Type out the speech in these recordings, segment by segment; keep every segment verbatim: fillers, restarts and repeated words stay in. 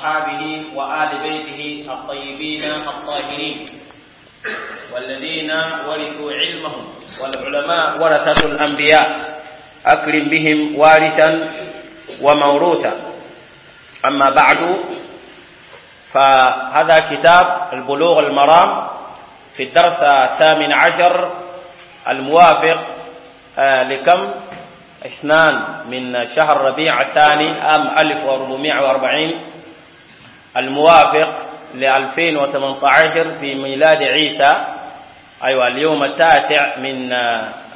وأصحابه وآل بيته الطيبين الطاهرين والذين ورثوا علمهم والعلماء ورثة الأنبياء أكرم بهم وارثا وموروثا. أما بعد، فهذا كتاب البلوغ المرام في الدرس الثامن عشر الموافق لكم؟ اثنان من شهر ربيع الثاني عام ألف وأربعمائة وأربعين الموافق لألفين وثمانية عشر في ميلاد عيسى، أيوة اليوم التاسع من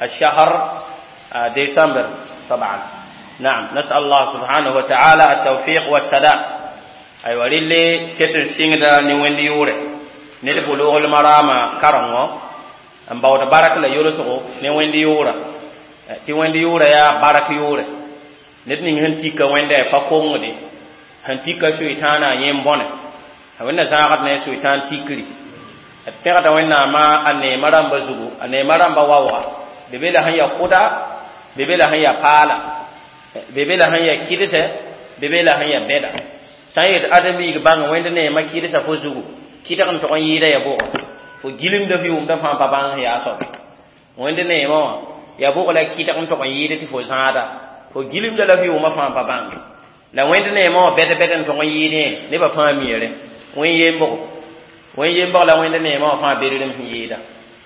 الشهر ديسمبر طبعا. نعم، نسأل الله سبحانه وتعالى التوفيق والسداد. أيوة للي كتن سيندا نوين يوري نيد بلوغ المرام كرمو أم باود بارك لا يولسو نوين يورا tɩ wẽnd yʋʋra yaa bark yʋʋre ned ning sẽn tika wẽnda pa kongde sẽn tika soɩtãana yẽ bõne wẽnna zãagd ne soɩtãan tikri d pẽgda wẽnnaamã a neema rãmba zugu a neema rãmba waooga be be la sẽn ya kʋda be be la sẽn ya paala be be la sẽn ya kɩdse be be la sẽn ya bɛda sã n yet ãdem-biig bãng wẽnd neema kɩdsa fo zugu kɩdg n tog n yɩɩda ya bʋgɔ fo gilmda f yʋʋmda fãa pa bãng sẽn yaa soabe wẽnd neema wã ya bʋg la kɩdg n tog n yɩɩd tɩ fo zãada fo gilmda la f yʋʋmã fãa pa bãnge la wẽnd neema wã bɛd bɛd n tog n yɩɩdẽ nebã fãa miere wẽn yembgo wẽn yembg la wẽnd neema wã fãa bedrem sẽn yɩɩda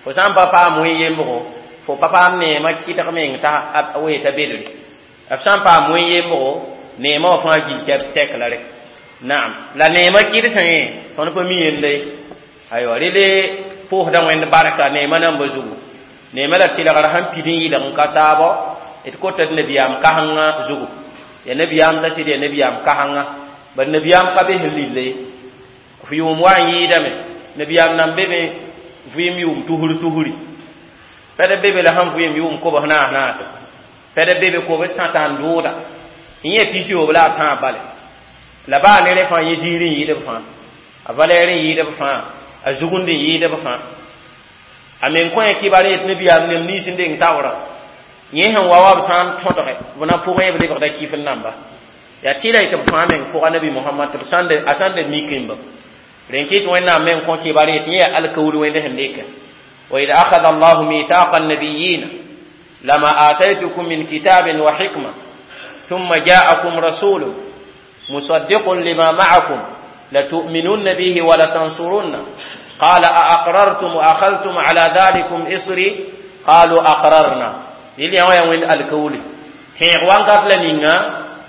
fo sã n pa paam wẽn yembgo fo pa paam neema kɩdg meng t'a weeta bedre b sã n paam wẽn yembgo neema wã fãa gil tɛk la re naam la neema kɩdsẽ tõnd pa mi yenda ye aywa rele pʋʋsda wẽnd barka neema namba zugu neema la tɩlgr sẽn pid n yɩlg n ka saabɔ d kota d nabiyaam kasengã zugu ya nabiyaam t'a sɩd ya nabiyaam kasengã bad nabiyaam ka be sẽn lilla ye f yʋʋm wa n yɩɩdame nabiyaam nan be me vɩɩm yʋʋm tusr tusri pɛd be be la sẽn vɩɩm yʋʋm kobs naas naase pɛd be be kobs tãta n dʋʋda n yẽ pis-yoob la a tãab bale la baa ne rẽ fãa yẽ ziir n yɩɩd b fãa a valɛɛr n yɩɩd b fãa a zugund n yɩɩd b fãa a men kõ kibar yet nabiyaam nem nins n deng taoora yẽ sẽn wa wa b sã n tõdge b na pʋgẽ b lebgda kɩf n namba yaa tɩ la y tɩ b fãa meng pʋga nabi mohamad tɩ b a sãn da mikẽmba rẽn kɩt wẽnnaam meng kõ kibar yet yẽ yaa alkawd wẽnd sẽn dɩkɛ وإذ أخذ الله ميثاق النبيين لما آتيتكم من كتاب وحكمة ثم جاءكم رسول مصدق لما معكم لتؤمنن به ولتنصرن قال أأقررتم وأخذتم على ذلكم إصري قالوا أقررنا يلي هو وين الكولي تيغ وان قبل نينا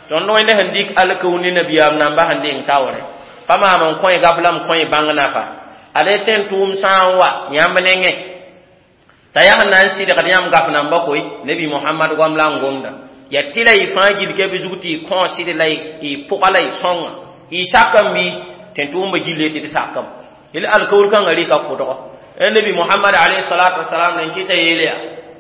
تون وين هنديك الكولي نبيام نامبا هندين تاوري فما من كوي قبل كوي بان نافا ale ten tum san wa yãmb nengẽ t'a yaa sẽn na n sɩdgd yãmb gaf namba koe nabi mohamad goam la n gomda ya tɩ la y fãa gil ke b zug tɩ y kõ sɩd la y pʋga la y sõnga y sakame bɩ tẽn tʋʋmbã gille tɩ d sakame il alkawr kãngã rɩka kʋdgɔ nabi mohamad alayhi salatu wasalam nen kɩta yeele ya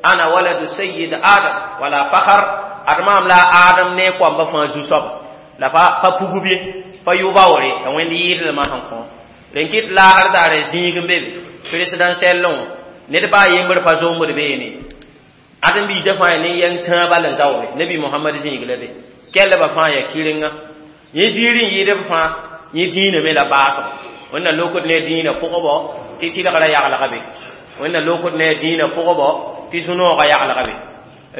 ana waladu sayyid adam wala fakhar ad maam la adam ne koamba fãa zu-soaba la pa pa pugb ye pa yʋ-baoore la wẽnd yɩɩdlmã sẽn kõ rẽn kɩt laasr daare zĩig n be be présidentiel wã ned baa yembr pa zombd beene ãdem-biisã fãa ya ne yɛng tãa bal n zaoore nabi mohamad zĩig la be kɛlbã fãa ya kɩrenga yẽ ziir n yɩɩd b fãa yẽ dĩinã me la baasgo wẽnna lokd ne dĩinã pʋgbo tɩ tɩlgrã yaglga be wẽnna lokd ne dĩinã pʋgbo tɩ sũ-noogã yaglga be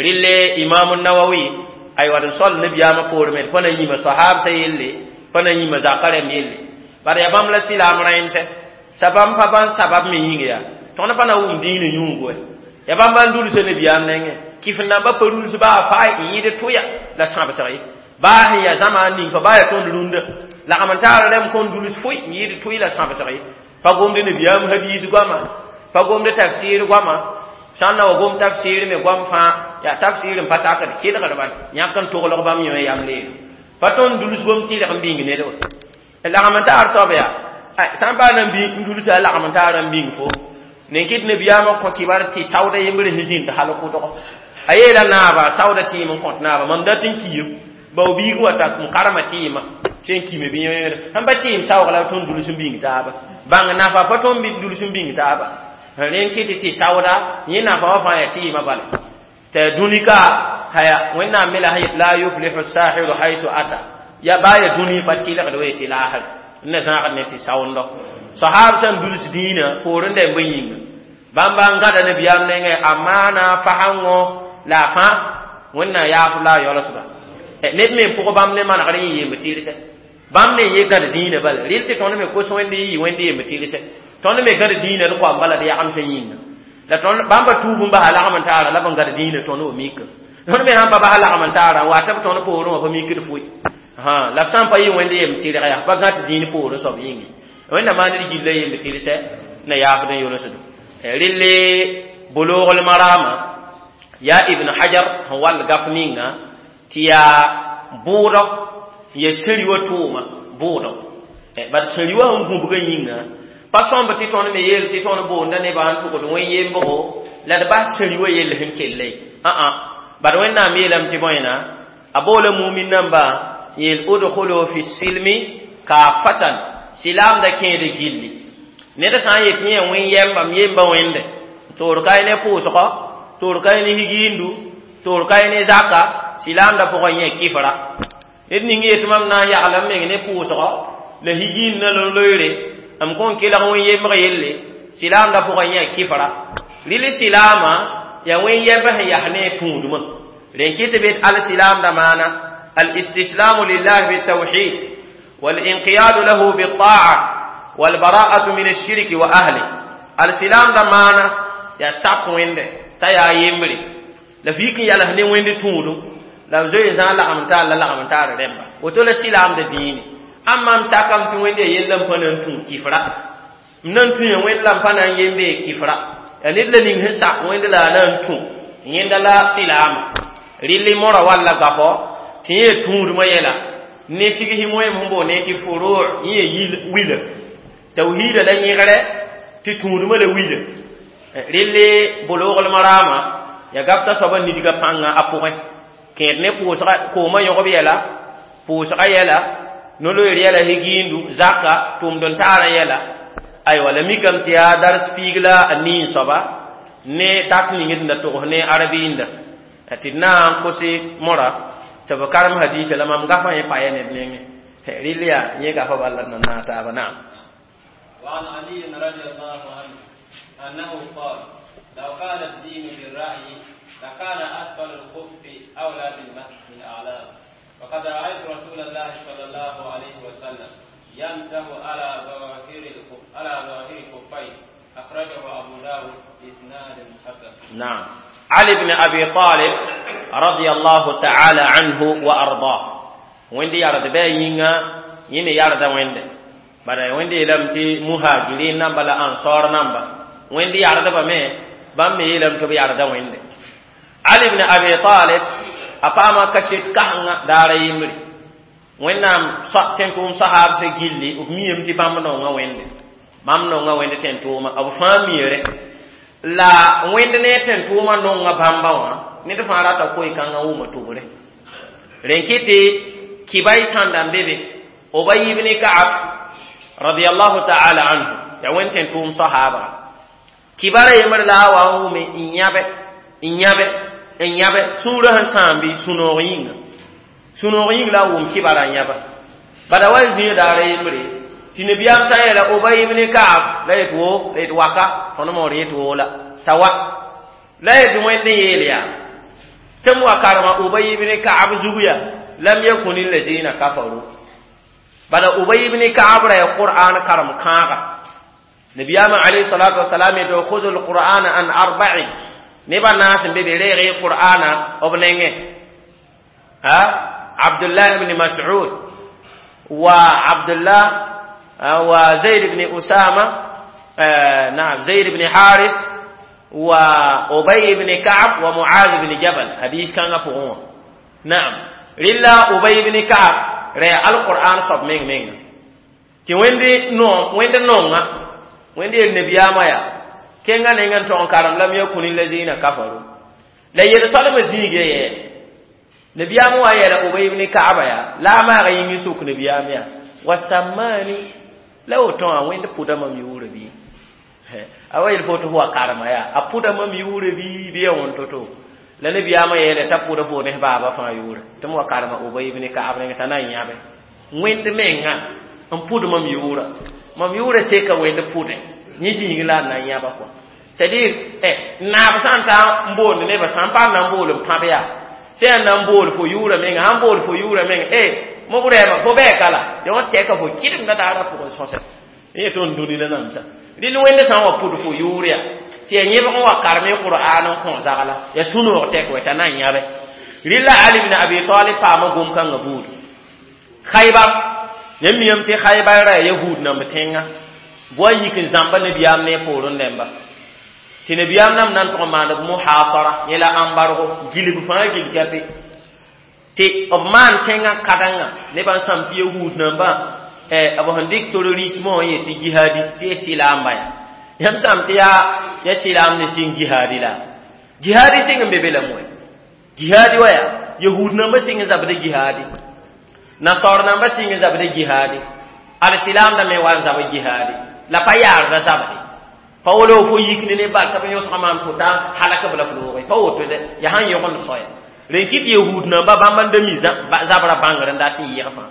rɩle imam nawawi aywa d sol nabiyaamã poor me d pa na yĩma sahabsã yelle pa na yĩma zakã rãmb yelle bara yaa bãmb la sɩlaam rãemsɛ sa bãmb pa bãn sabab me yĩng yaa tõnd pa na wʋm dĩinã yũugu ya bãmb n dulsa nabiyaam nengẽ kɩf namba pa ruls baa faa n yɩɩd tʋya la sãbsg ye baa sẽn yaa zãma ning fa baa yaa tõnd rũndã lagm n taar rẽmb kõn duls foe n yɩɩd tʋy la sãbsg ye pa gomd nabiyaam hadiis goama pa gomd tafsir goama sã n na wa gom tafsir me goam fãa yaa tafsir n pa sakd kelgd bal yãk n toglg bãmb yõ yam leelo pa tõnd duls gom tɩlg n bĩng ned wa lagm n taar soab yaa sã n paa na n n dulsa lagm n taar n bĩng fo nen kɩt nabiyaamã kõ kibar tɩ saooda yembr sẽn zĩnd hal kʋdgɔ a yeela naaba saooda tɩɩm n kõt naaba mam dat n kiim bao biig wa ta n karema tɩɩmã tɩ n kime bɩ yẽwẽngd sẽn pa tɩɩm saoog la tõnd duls n bĩng taaba bãng nafa pa tõnd duls n bĩng taaba rẽn kɩt tɩ saooda yẽ nafa wã fãa yaa tɩɩmã bala tɩ dũni ka haya wẽnnaam me la sẽn yet la yuflihu sahiru haysu ata Ya baa ya dũni pa tɩlgd we tɩ laasr n na zãagd ne tɩ saoondo sahab sẽn duls dĩinã poorẽ da bõe yĩnga bãmba n gãda nabiyaam nengẽ a maana fasãngõ la a fãa wẽnnaam yaafb la a yaoolsba ned me n pʋg bãmb ne manegr yẽ yemb tɩlsɛ bãmb me n ye gãd dĩinã bala rɩl tɩ tõnd me kos wẽnd yɩ wẽnd yemb tɩlsɛ tõnd me gãd dĩinã d koam bala d yagem sẽn yĩnga la tõnd bãmba tuub n basa lagm n taara la b n gãd dĩinã tõnd wa mika tõnd me sãn pa basa lagm n taara n wa tɩ b tõnd poorẽ wã pa mikd foe la b sã n pa yɩ wẽnd yemb tɩrg yaa pa gãd dĩin poorẽ soab yĩnge wẽnnaam maan d gilla yemb tɩlsɛ na yaafd n yolsdo rɩlle bulugl marama yaa ibn hajar sẽn wall gaf ninga tɩ yaa bʋʋdɔ ya sẽri wa tʋʋma bʋʋdɔ bad sẽri wa sẽn gũbgã yĩnga pa sõmb tɩ tõnd me yeel tɩ tõnd boonda nebã n tʋgd wẽn yembgo la d bas sẽri wa yell sẽn kelle ã bad wẽnnaam yeelame tɩ bõena a boola mumin namba yeel udkhulu fi silmi kafatan silaamda kẽede gilli ned sã n yet yẽ wẽn yɛmbam yemba wẽnde toor ka ne pʋʋsgɔ toor ka ne higiindu toor ka ne zaka silaamda pʋgẽ yẽ kifra ned ning yet mam na n yagla m meng ne pʋʋsgɔ la higiin na loeere m kõn kelg wẽn yembg yelle silaamda pʋgẽ yẽ kifra rɩl silaama yaa wẽn yɛmb sẽn yas ne tũudmã rẽn kɩ tɩ bed al-silaamda maana الاستسلام لله بالتوحيد والانقياد له بالطاعة والبراءة من الشرك وأهله السلام دمانا يا ساق ويند تا يا يمري لا فيك يا له ويند تودو لا زوي زان لا امتا لا لا امتا رemba woto la silam de dini amma m sakam ti wende yellam panan tun kifra nan tun ya wende lam panan yembe kifra ya nid la ning sak wende la nan tun yenda la silam rilli mora walla gafo tɩ yẽ tũudmã yɛla ne figsi moem sẽn boond ne tɩ furu yẽ yil wila tawhiida la yẽgre tɩ tũudmã la wila relle bulugl marama ya gafta soaba nidga pãnga a pʋgẽ kẽed ne pʋʋsga koomã yõgb yɛla pʋʋsga yɛla no-loeer yɛla higiindu zaka tʋmd n taarã yɛla aywa la mikame tɩ yaa dars piig la a niin soaba ne dat ning d da togs ne arabiinda tɩ d na n kose mora tɩ b karem hadiisa la mam gafã yẽ pa ya ned nengẽ rɩl yaa yẽ gafa bala n na taaba naam وعن علي رضي الله عنه أنه قال لو كان الدين بالرأي لكان أسفل الخف أولى بالمسح من أعلاه وقد رأيت رسول الله صلى الله عليه وسلم يمسح على ظواهر الخف على ظواهر خفيه أخرجه أبو داود بإسناد حسن. نعم علي بن أبي طالب رضي الله تعالى عنه وأرضاه ويندي يارد باينغا يمي يارد ويندي bara wẽnde yeelame tɩ muhajirin namba la ansar namba wẽnd yardbame bãmb me yeelame tɩ b yarda wẽnde ali ibn abi talib a paama kaset kãsenga daara yembre wẽnnaam tẽn-tʋʋm sahaabsã gilli b miame tɩ bãmb nonga wẽnde bãmb nonga wẽnd tẽn-tʋʋma b fãa miere la wẽnd ne tẽn-tʋʋma nonga bãmba wã ned fãa rata koe-kãngã wʋma tʋbre rẽn kɩ tɩ kibay sãnda n be be Ubay ibn Ka'ab radiyallahu ta'ala anhu ya wẽnd tẽn-tʋʋm sahaabga kibara yembr la a wa n wʋme n yãbe n yãbe n yãbe sũurã sẽn sãam bɩ sũ-noog yĩnga sũ-noog yĩng la a wʋm kibara n yãba bada wa zĩig daara yembre tɩ nabiyaam t'a yeela Ubay ibn Ka'ab la yet wo la yet waka tõnd moor yet wo la t'a wa la yet wẽnd n yeel yaa tɩ m wa karema Ubay ibn Ka'ab zug yaa lam yakun allazina kafaru bada Ubay ibn Ka'ab ra ya Qur'an karem kãaga nabiyaama alayhi salatu wasalam yeto khudhu alqur'ana an arba'in neba naas n be be reeg qur'ana b nengẽ ha Abdullah ibn Mas'ud wa Abdullah wa Zayd ibn Usama نعم زيد بن حارس وأبي بن كعب ومعاذ بن جبل حديث كان فوق نعم رلا أبي بن كعب رأى القرآن صب مين مين تي ويندي نو ويندي نونga wẽnd yel nabiyaamã yaa kẽngã nengã n tog n karem lam yakun allazina kafaru la yel-soalmã zĩige yɛɛ nabiyaamã wa yeela Ubay ibn Ka'aba yaa la a maaga yĩng sʋk nabiyaam yaa wa sammani la woto wã wẽnd pʋda mam yʋʋrã bɩ a wa yel fo tɩ fo wa karema yaa a pʋda mam yʋʋrã bɩ bɩ ya wõn to-to la nabiyaamã yeele t'a pʋda fo ne baaba fãa yʋʋrã tɩ m wa karema Ubay ibn Ka'ab nengẽ t'a na n yãbe Wẽnd menga n pʋd mam yʋʋra mam yʋʋra seka wẽnd pʋdẽ yẽ zĩig la a na n yãba kɔa c'est-à-dire eh naab sã n ta n boond nebã sã n paam na n bool n pãb yaa sã yaa na n bool fo yʋʋra menga sãn bool fo yʋʋra menga eh mo rɛɛma fo bɛɛka la ya wã tɛka fo kɩdemda daara pʋgẽ sõsɛ yẽ tõnd dũni la namsa rɩl wẽnd sã n wa pʋd fo yʋʋr yaa tɩ ya yẽbg n wa karem qur'an n kõ zagla ya sũ-noog tɛk wɛ t'a na n yãbe rɩla Ali ibn Abi Talib paama gom-kãngã buudu Khaybar yãmb miyame tɩ Khaybar ra yahud namb tẽnga boa yik n zãmba nabiyaam ne poorẽ rẽmba tɩ nabiyaam nam na n tʋg n maand b muhasara yẽ la ãmbargo gilg fãa gil kape tɩ b maan tẽngã kadengã nebã n sãm tɩ yahud nambã b sẽn dɩk terrorisme wã yetɩ jihadis tɩ ya sɩlaamba yaa yãmb sãm tɩ yaa ya sɩlaam ne sɩng jihadi la jihadi sɩng n be be lame wɛ jihadi wa yaa yahud nambã sɩng n zabda jihadi nasar nambã sɩng n zabda jihadi al-silaam da me wa n zab jihadi la pa yaarda zabde pa wolo fo yik ne ne bal t'a b yõsga maam fo t'a halak b la f looge pa woto de yaa sãn yõgend soaya rẽn kɩt yahud namba bãmb n da mi zabra bãngr n dat n yɩg fãa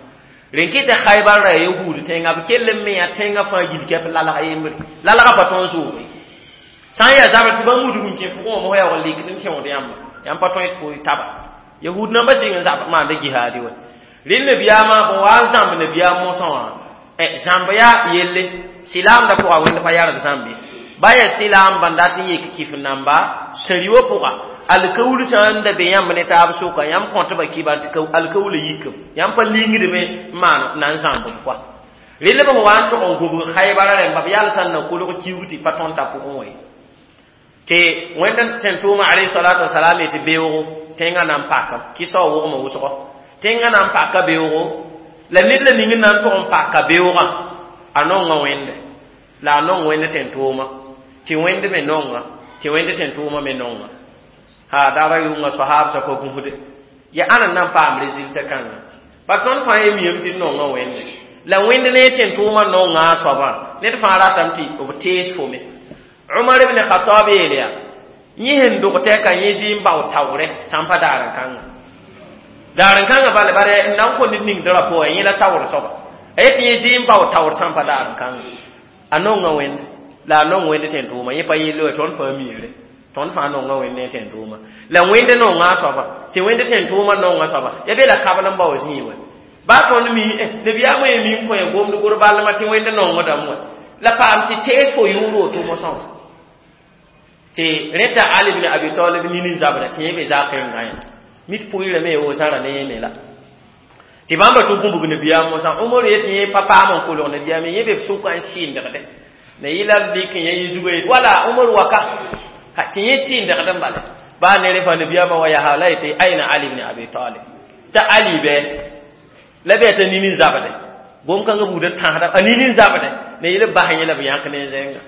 rẽn kɩt Khaybar ra yahud tẽnga b kell n me yaa tẽngã fãa gil kɛp lalga yembre lalga pa tõnd zooge sã n yaa zabr tɩ bãmb wudg n kẽ pʋgẽ wã mos yaoog n likd n tẽod yãmba yãmb pa tõe tɩ fo taba yahud namba sɩng n zab maanda jihaadi wa rẽnd nabiyaamã bõ wa n zãmb nabiyaam mosã wã zãmb yaa yelle silaamda pʋga wẽnd pa yarg zãmb ye ba yaa silaam bãn dat n yek kif namba sẽri wã pʋga alkawul sã n da be yãmb ne taab sʋka yãmb kõtba kiban tɩ alkawla yikam yãmb pa lingdme n maan na n zãmb b kɔa rel b wa n tʋg n gũbg Khaybara rẽmba b yal sã n na kolg kiug tɩ pa tõnd t'a pʋgẽ wã ye tɩ wẽnd tẽn-tʋʋma alayhi salatu wasalam yetɩ beoogo tẽngã na n pakam kɩsao wogmã wʋsgɔ tẽngã na n paka beoogo la ned la ning n na n tʋg n paka beoogã a nonga wẽnde la a nong wẽnd tẽn-tʋʋma tɩ wẽnd me nonga tɩ wẽnd tẽn-tʋʋma me nonga ha daara yʋnga soahabsã pa gũsde ya ãna n na n paam résultat kãnga ba tõnd fãa ye miyame tɩ d nonga wẽnde la wẽnd ne tẽn-tʋʋmã nonga a soabã ned fãa ratame tɩ b tees fo me Umar ibn Khattab yeel yaa yẽ sẽn dog tɛka yẽ zɩ n bao taoorɛ sã n pa daar-n-kãnga daar-n-kãngã bala bare n na n kõ ned ning drapeau wã yẽ la taoor soaba a yetɩ yẽ zɩ n bao taoor sã n pa daar-n-kãnga a nonga wẽnd la a nong wẽnd tẽn-tʋʋma yẽ pa yelle wa tõnd fãa miire tõnd fãa nonga wẽnd ne tẽn-tʋʋma la wẽnd nonga a soaba tɩ wẽnd tẽn-tʋʋma nonga soaba ya be la kabl n bao zĩig wɛ baa tõnd mi nabiyaamã ye mi n kõ ya gomd gor balma tɩ wẽnd nongdame wɛ la paam tɩ tees fo yʋʋr woto mosã wã tɩ rẽta Ali ibn Abi Talib nin n zabra tɩ yẽ be zakẽngã yã mit pʋɩɩrame wo zãra ne yẽ me la tɩ bãmba tɩ gũbg nabiyaam mosã Umar yetɩ yẽ pa paam n kolg nabiyaam yẽ be sʋka n sɩɩndgdẽ na yɩla lik yẽ yẽ zugã yet wala Umar waka tɩ yẽ sɩɩndgd n bala baa ne rẽ fãa nabiyaamã wa yaa la yetɩ aina Ali ibn Abi Talib t'a Ali bɛ la bɩ t'a nin n zabdẽ gom-kãngã buud n tãsda a nin n zabdẽ ne yɩl bas yẽ la b yãk ne zẽnga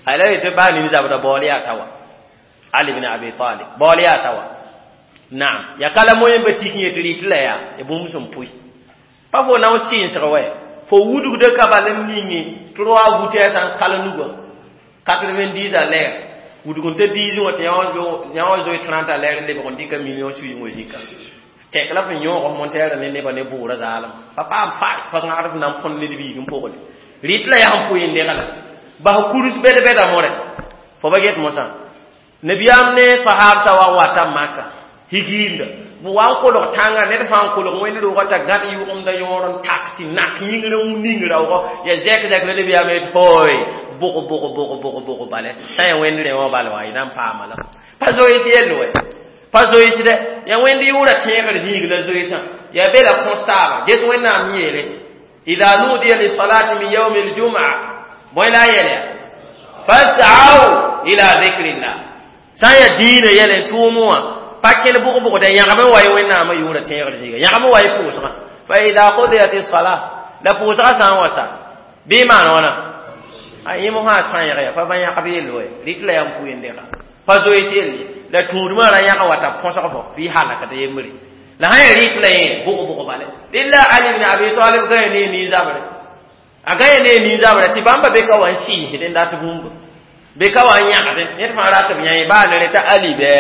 ala yetɩ baa nin zabda baool yaa ta wa Ali ibn Abi Talib baool yaa ta wa naam ya kala moyen ba tik yetɩ rɩt la yaa ya bũmb sẽn pʋɩ pa fo na sɩɩnsg wɛ fo wudgda ka bal n ninge trois vitesse n kal nugã quatre-vingt-dix à l'heure wudg n ta diisẽ wã tɩ yã wã zoe trente à l'heure n lebg n dɩka million suyẽ wã zika tɛk la fo yõog monteerã ne nebã ne bʋʋrã zaalem pa paam fae pa gãgd f na n põnd ned biig n pʋgle rɩt la yaa n pʋɩ n degla bas kurus bɛd-bɛda more fo ba get mosã nabiyaam ne sahabsã wa n wata maka higiinda b wa n kolg tãngã ned fãa n kolg wẽnd roogã t'a gãd yʋgemda yõor n tak tɩ nak yĩngr n ning raoogɔ ya zɛk zɛk la nabiyaam yet hooy bʋg bʋg bʋg bʋg bʋg bale sã ya wẽnd rẽ wã bal wa y na n paama la pa zoees yell wɛ pa zoeesdɛ ya wẽnd yʋʋra tẽegr zĩig la zoeesã ya be la kõs taaba ges wẽnnaam yeele ida nudiya lisalati min yaumi ljum'a bõe la a yɛl ya fas'au ila dhikrillah sã n yaa diinã yɛl n tʋʋm wã pa kẽl bʋg-bʋgda yãgb n wa ye wẽnnaamã yʋʋra tẽegr zĩiga yãgb n wa ye pʋʋsgã fa ida qudiyat sala la pʋʋsgã sã n wa sa bɩ maan wãna a yẽ mosã sã-yẽg ya pa bã yãgb yell wɛ rɩt la yaa n pʋɩ n dega pa zoees yell ye la tũudmã ra yãg wa t'a põsg fo fɩ halakd yembre la sã yaa rɩt la yẽ bʋg-bʋg bale rɩla Ali ibn Abi Talib gã ne nin-zabrɛ a gã ne nin-zabrɛ tɩ bãmba be ka wa n sɩɩsd n dat bũmba be ka wa n yãgdẽ ned fãa rat b yã baa ne rẽ t'a Ali bɩ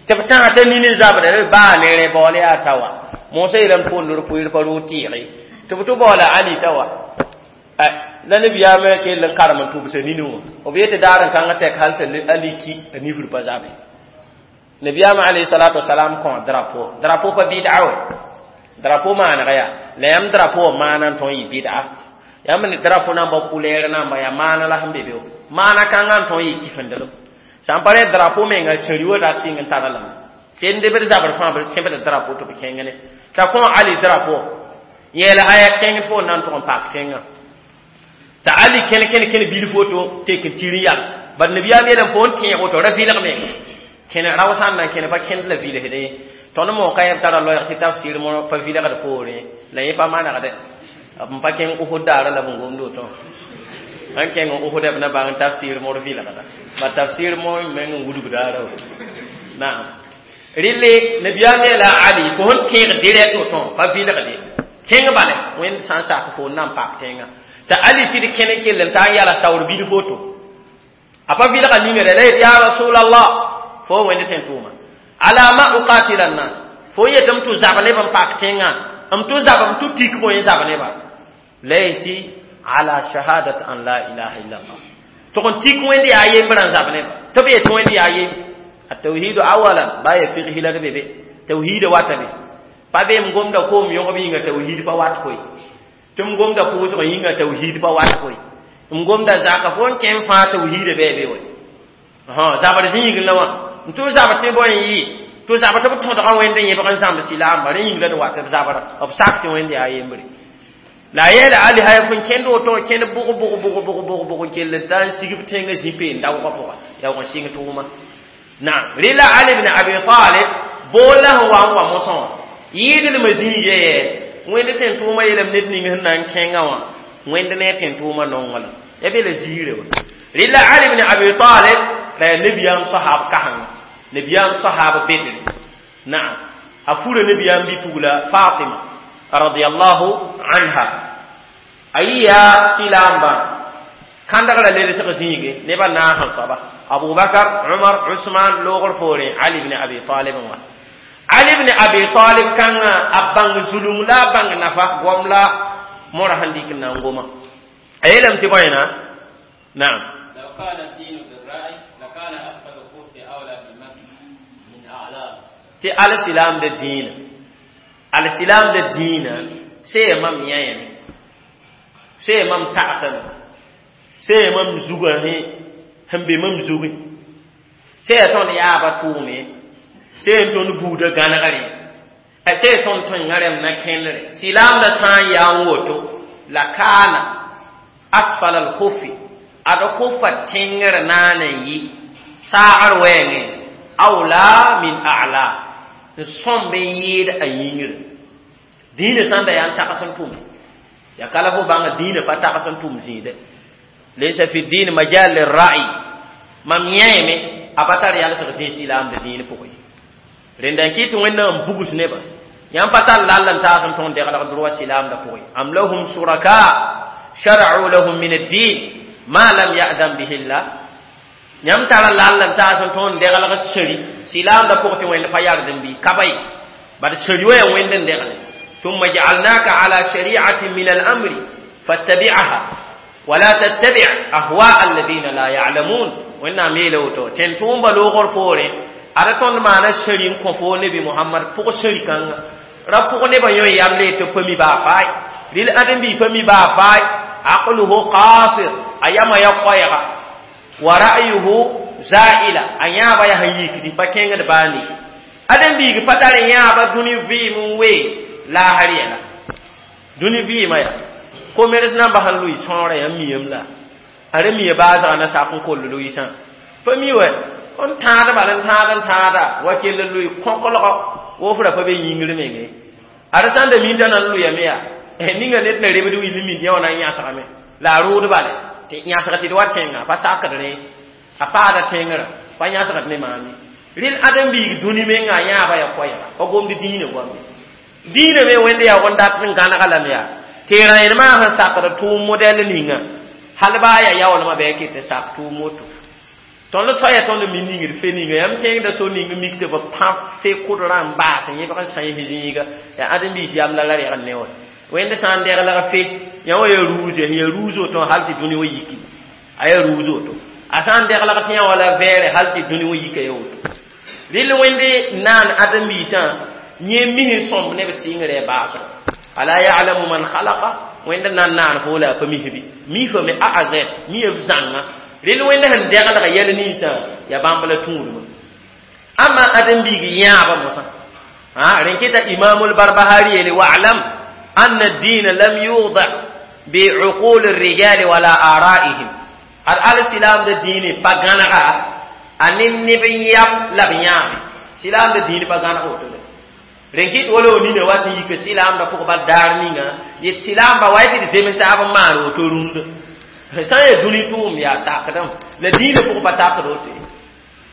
tɩ b tãs t'a nin n zabrã baa ne rẽ baool yaa ta wa mosã yeelame tɩ pʋʋnd d pʋɩɩr pa roog tɩɩge Tɩ b tɩ baoola Ali t'a wa la nabiyaam kell n karem n tʋbsa nini wã b yetɩ daar n kãngã tɛk hal t'a Ali ki a nifr pa zabe. Nabiyaam alayhi salatu wasalam kõ drapeau. Drapeau pa bid'a we. Drapeau maanega yaa la yãmb drapeau wã maana n tõe n yɩ bid'a. Yãmb ne drapeau namba couleur namba yaa maana la sẽn be be maana kãngã n tõe n yɩ kifendelem. Sã n pa rẽ drapeau menga sẽri wa rat tɩng n tara lame. Sẽn debd zabr fãa b sẽbd drapeau tɩ b kẽng ne. T'a kõ Ali drapeau yɛɛla aya kẽng fo na n tʋg n paak tẽngã. T'a Ali kẽne kẽne kẽne bilf woto tek n tir n yals. Bad nabiyaam yeelame fo n tẽeg woto ra vɩlg menga. Kẽne rao sã n na n kẽne pa kẽnd la vilsdẽ ye. Tõnd mo ka yẽb tara loɛɛg tɩ tafsir mo pa vilgd poorẽ la yẽ pa manegde. B pa kẽng Uhud daara la b n gomd woto. Sãn kẽng Uhud b na bãng tafsir mor vilgda. Ba tafsir mo meng n wudg daara woto. Naam. Rɩle nabiyaam yeela Ali fo sẽn tẽeg direct woto pa vilgde. Kẽng bale Wẽnd sã n sak fo n na n paak tẽngã. T'a Ali sɩd kẽne kell n taa n yala taoor bilf woto. A pa vilga ningre la yet ya Rasulallah fo Wẽnd tẽn tʋʋma. Ala ma uqatila an-nas. Fo yetɩ m tʋ zab neb n paak tẽngã. M tʋ zab m tʋ tik bõe n zab neba. La yetɩ ala shahadat an la ilaha illallah. Tʋg n tik Wẽnd yaa yembrã n zab neba. Tɩ b yetɩ Wẽnd yaa yem. التوحيد اولا baya fiqhi la bebe. Tauhid wata be. Pa be m gomda koom yõgb yĩnga tauhid pa wat koe. Tɩ m gomda pʋʋsg yĩnga tauhid pa wat koe. M gomda zaka fo n kẽ n fãa tauhid bɩ be we. Zabr zĩigẽ la wã. N tʋ zabr tɩ bõe n yɩ. Tʋ zabr tɩ b tõdga Wẽnd n yẽbg n zãmb silaamba rẽ yĩng la d wat b zabra. B sak tɩ Wẽnd yaa yembre. La a yeela Ali haya fo n kẽnd woto kẽnd bʋg bʋg bʋg bʋg bʋg bʋg n kell n ta n sig b tẽngã zĩ-peen daoogã pʋga. Yaa wa n sɩng tʋʋma. Naam. Rɩla Ali ibn Abi Talib boola sẽn wa n wa mosã wã. Yɩɩdlmã zĩigã yɛ Wẽnd tẽn tʋʋmã yeelame ned ning sẽn na n kẽngã wã Wẽnd ne a tẽn tʋʋmã nongã la. Ya be la ziirã wã. Rɩla Ali ibn Abi Talib la yaa nabiyaam sahab kasengã. Nabiyaam sahab bedre. Naam. A fura nabiyaam bi-pugla Fatima radiyallahu anha. A yɩ yaa silaambã kãndgrã ledsg zĩige nebã naas n soaba. Abu Bakar, Umar, Usman loogr poorẽ Ali ibn Abi Talib n wa. Ali ibn Abi Talib kãngã a bãng zulung la a bãng nafa goam la mora sẽn dɩk n na n goma. A yeelame tɩ bõe na? Naam. لو كان الدين بالرأي لكان أسفل الخف أولى بالمسح من أعلاه. Tɩ al-silaamda dĩinã. Al-silaamda dĩinã see mam yãyame. See mam tagsame. See mam zugã sẽn be mam zugẽ. See yaa tõnd yaabã tʋʋme. See n tõnd buudã gãnegre. See tõnd tõengã rẽmb na kẽndre. Silaamda sã n yaa n woto la kaana asfal al-khufi ad khufa tẽngr naan n yɩ saagr wɛɛngẽ awla min a'la n sõmb n yɩɩd a yĩngre. Dĩinã sã n da yaa n tags n tʋm. Ya kala fo bãnga dĩinã pa tags n tʋm zĩide. Laysa fi din majal lirra'i. Mam yãeme a pa tar yalsg zĩ silaamda dĩin pʋgẽ. Rẽnda n kɩt Wẽnnaam n bugs nebã. Yãmb pa tar lall n taas n tõog deglg droa silaamda pʋgẽ. Am lahum shuraka shara'u lahum min ad-din ma lam ya'zan bihi Allah. Yãmb tara lall n taas n tõog deglg seri silaamda pʋgẽ tɩ Wẽnd pa yard n bɩ ka ba ye. Bad seri wa yaa Wẽnd n degle. ثم جعلناك على شريعة من الأمر فاتبعها ولا تتبع أهواء الذين لا يعلمون. وإن ميلوتو تنتوم بلوغر بوري ada tõnd maana seri n kõ fo nebi Muhammad pʋg seri kãnga. Ra pʋg nebã yõ yam le tɩ pa mi baa faay. Rɩl ãdem-biig pa mi baa faay. Aqluhu qasir a yamã ya koɛɛga. Wa ra'yuhu za'ila a yãaba yaa sẽn yikdi pa kẽngd baa ne. Ãdem-biig pa tar yãaba dũni vɩɩm n wee laasr yɛla. Dũni vɩɩmã yaa ko-meres namba sẽn lʋɩ sõorã yaa miyame la. A ra mia baasgã na sak n koll lʋɩsã. Pa mi wɛ n tãad bal n tãad n tãada wa kell n lʋɩ kõkolgɔ woofrã pa be yĩngr menge. A ra sã n da minda na n lʋyame yaa ninga ned na rebd will mind yã wã na n yãsgame. La a rʋʋd bale tɩ yãsg tɩ d wa tẽngã pa sakd rẽ a paada tẽngrã pa yãsgd ne maam ye. Rɩl ãdem-biig dũni menga a yãaba yaa koɛɛga pa gomd dĩinã goambe. Dĩinã me Wẽnd yaa wẽn dat n gãnega lame yaa tɩ rãenemã sẽn sakd tʋʋm modɛl ninga hal baa yaa yaoolmã bɩ a ket n sak tʋʋm woto. Tõnd soaya tõnd mi ningd fe ninga yãmb kẽngda so ning mik tɩ b pãb fe kʋdrã n baas n yẽbg n sãens zĩiga yaa ãdem-biis yam la la reg n ne wã. Wẽnd sã n deglg fe yã wa ya ruuse sẽn ya ruus woto hal tɩ dũni wã yiki a ya ruus woto a sã n deglg tɩ yã wa la vɛɛre hal tɩ dũni wã yika ya woto rɩl wẽnde naan ãdem-biisã yẽ mis n sõmb ne b sɩngrɛ baasgo ala ya'lamu man khalaqa wẽnd nan naan fo la a pa misbi mifame a a z mi b zãnga rɩl wẽnd sẽn deglg yɛl ninsã ya bãmb la tũudmã amma ãdem-biig yãaba mosã ha rẽn kɩta imamul barbahari yeele wa'lam anna ad-din lam yuda bi'uqul ar-rijal wala ara'ihim ad al silam da dini pa gãnega a ne neb n yam la b yãabe silaamda diin pa gãneg woto de rẽn kɩt wala wo nina wa tɩ yik silaamda pʋg bal daar ninga yet silaamba wa tɩ d zems taab n maan woto rũndã sã n yaa dũni tʋʋm yaa sakdame la diinã pʋg pa sakd woto ye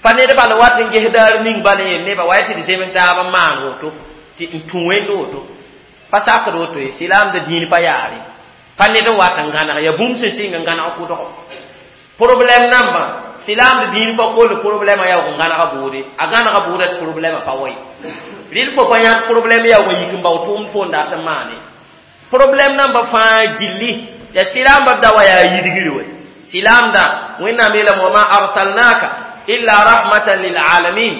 pa ned bal wat n ges daar ning bal n yel nebã wa tɩ d zems taab n maan woto tɩ n tũ wẽnd woto pa sakd woto ye silaamda diin pa yaare pa ned n wat n gãneg yaa bũmb sẽn sɩng n gãneg kʋdgo problème nambã silaamd diin pa kol problème yaoog n gãnega bʋʋde a gãnega bʋʋda tɩ problème pa wa ye rɩl fo pa yãk problème yaoog n yik n bao tʋʋmd fo n dat n maane problème nambã fãa gilli ya silaamba b da wa yaa yidgr we silaamda wẽnnaam yeelame wama arsalnaka illa rahmatan lilalamin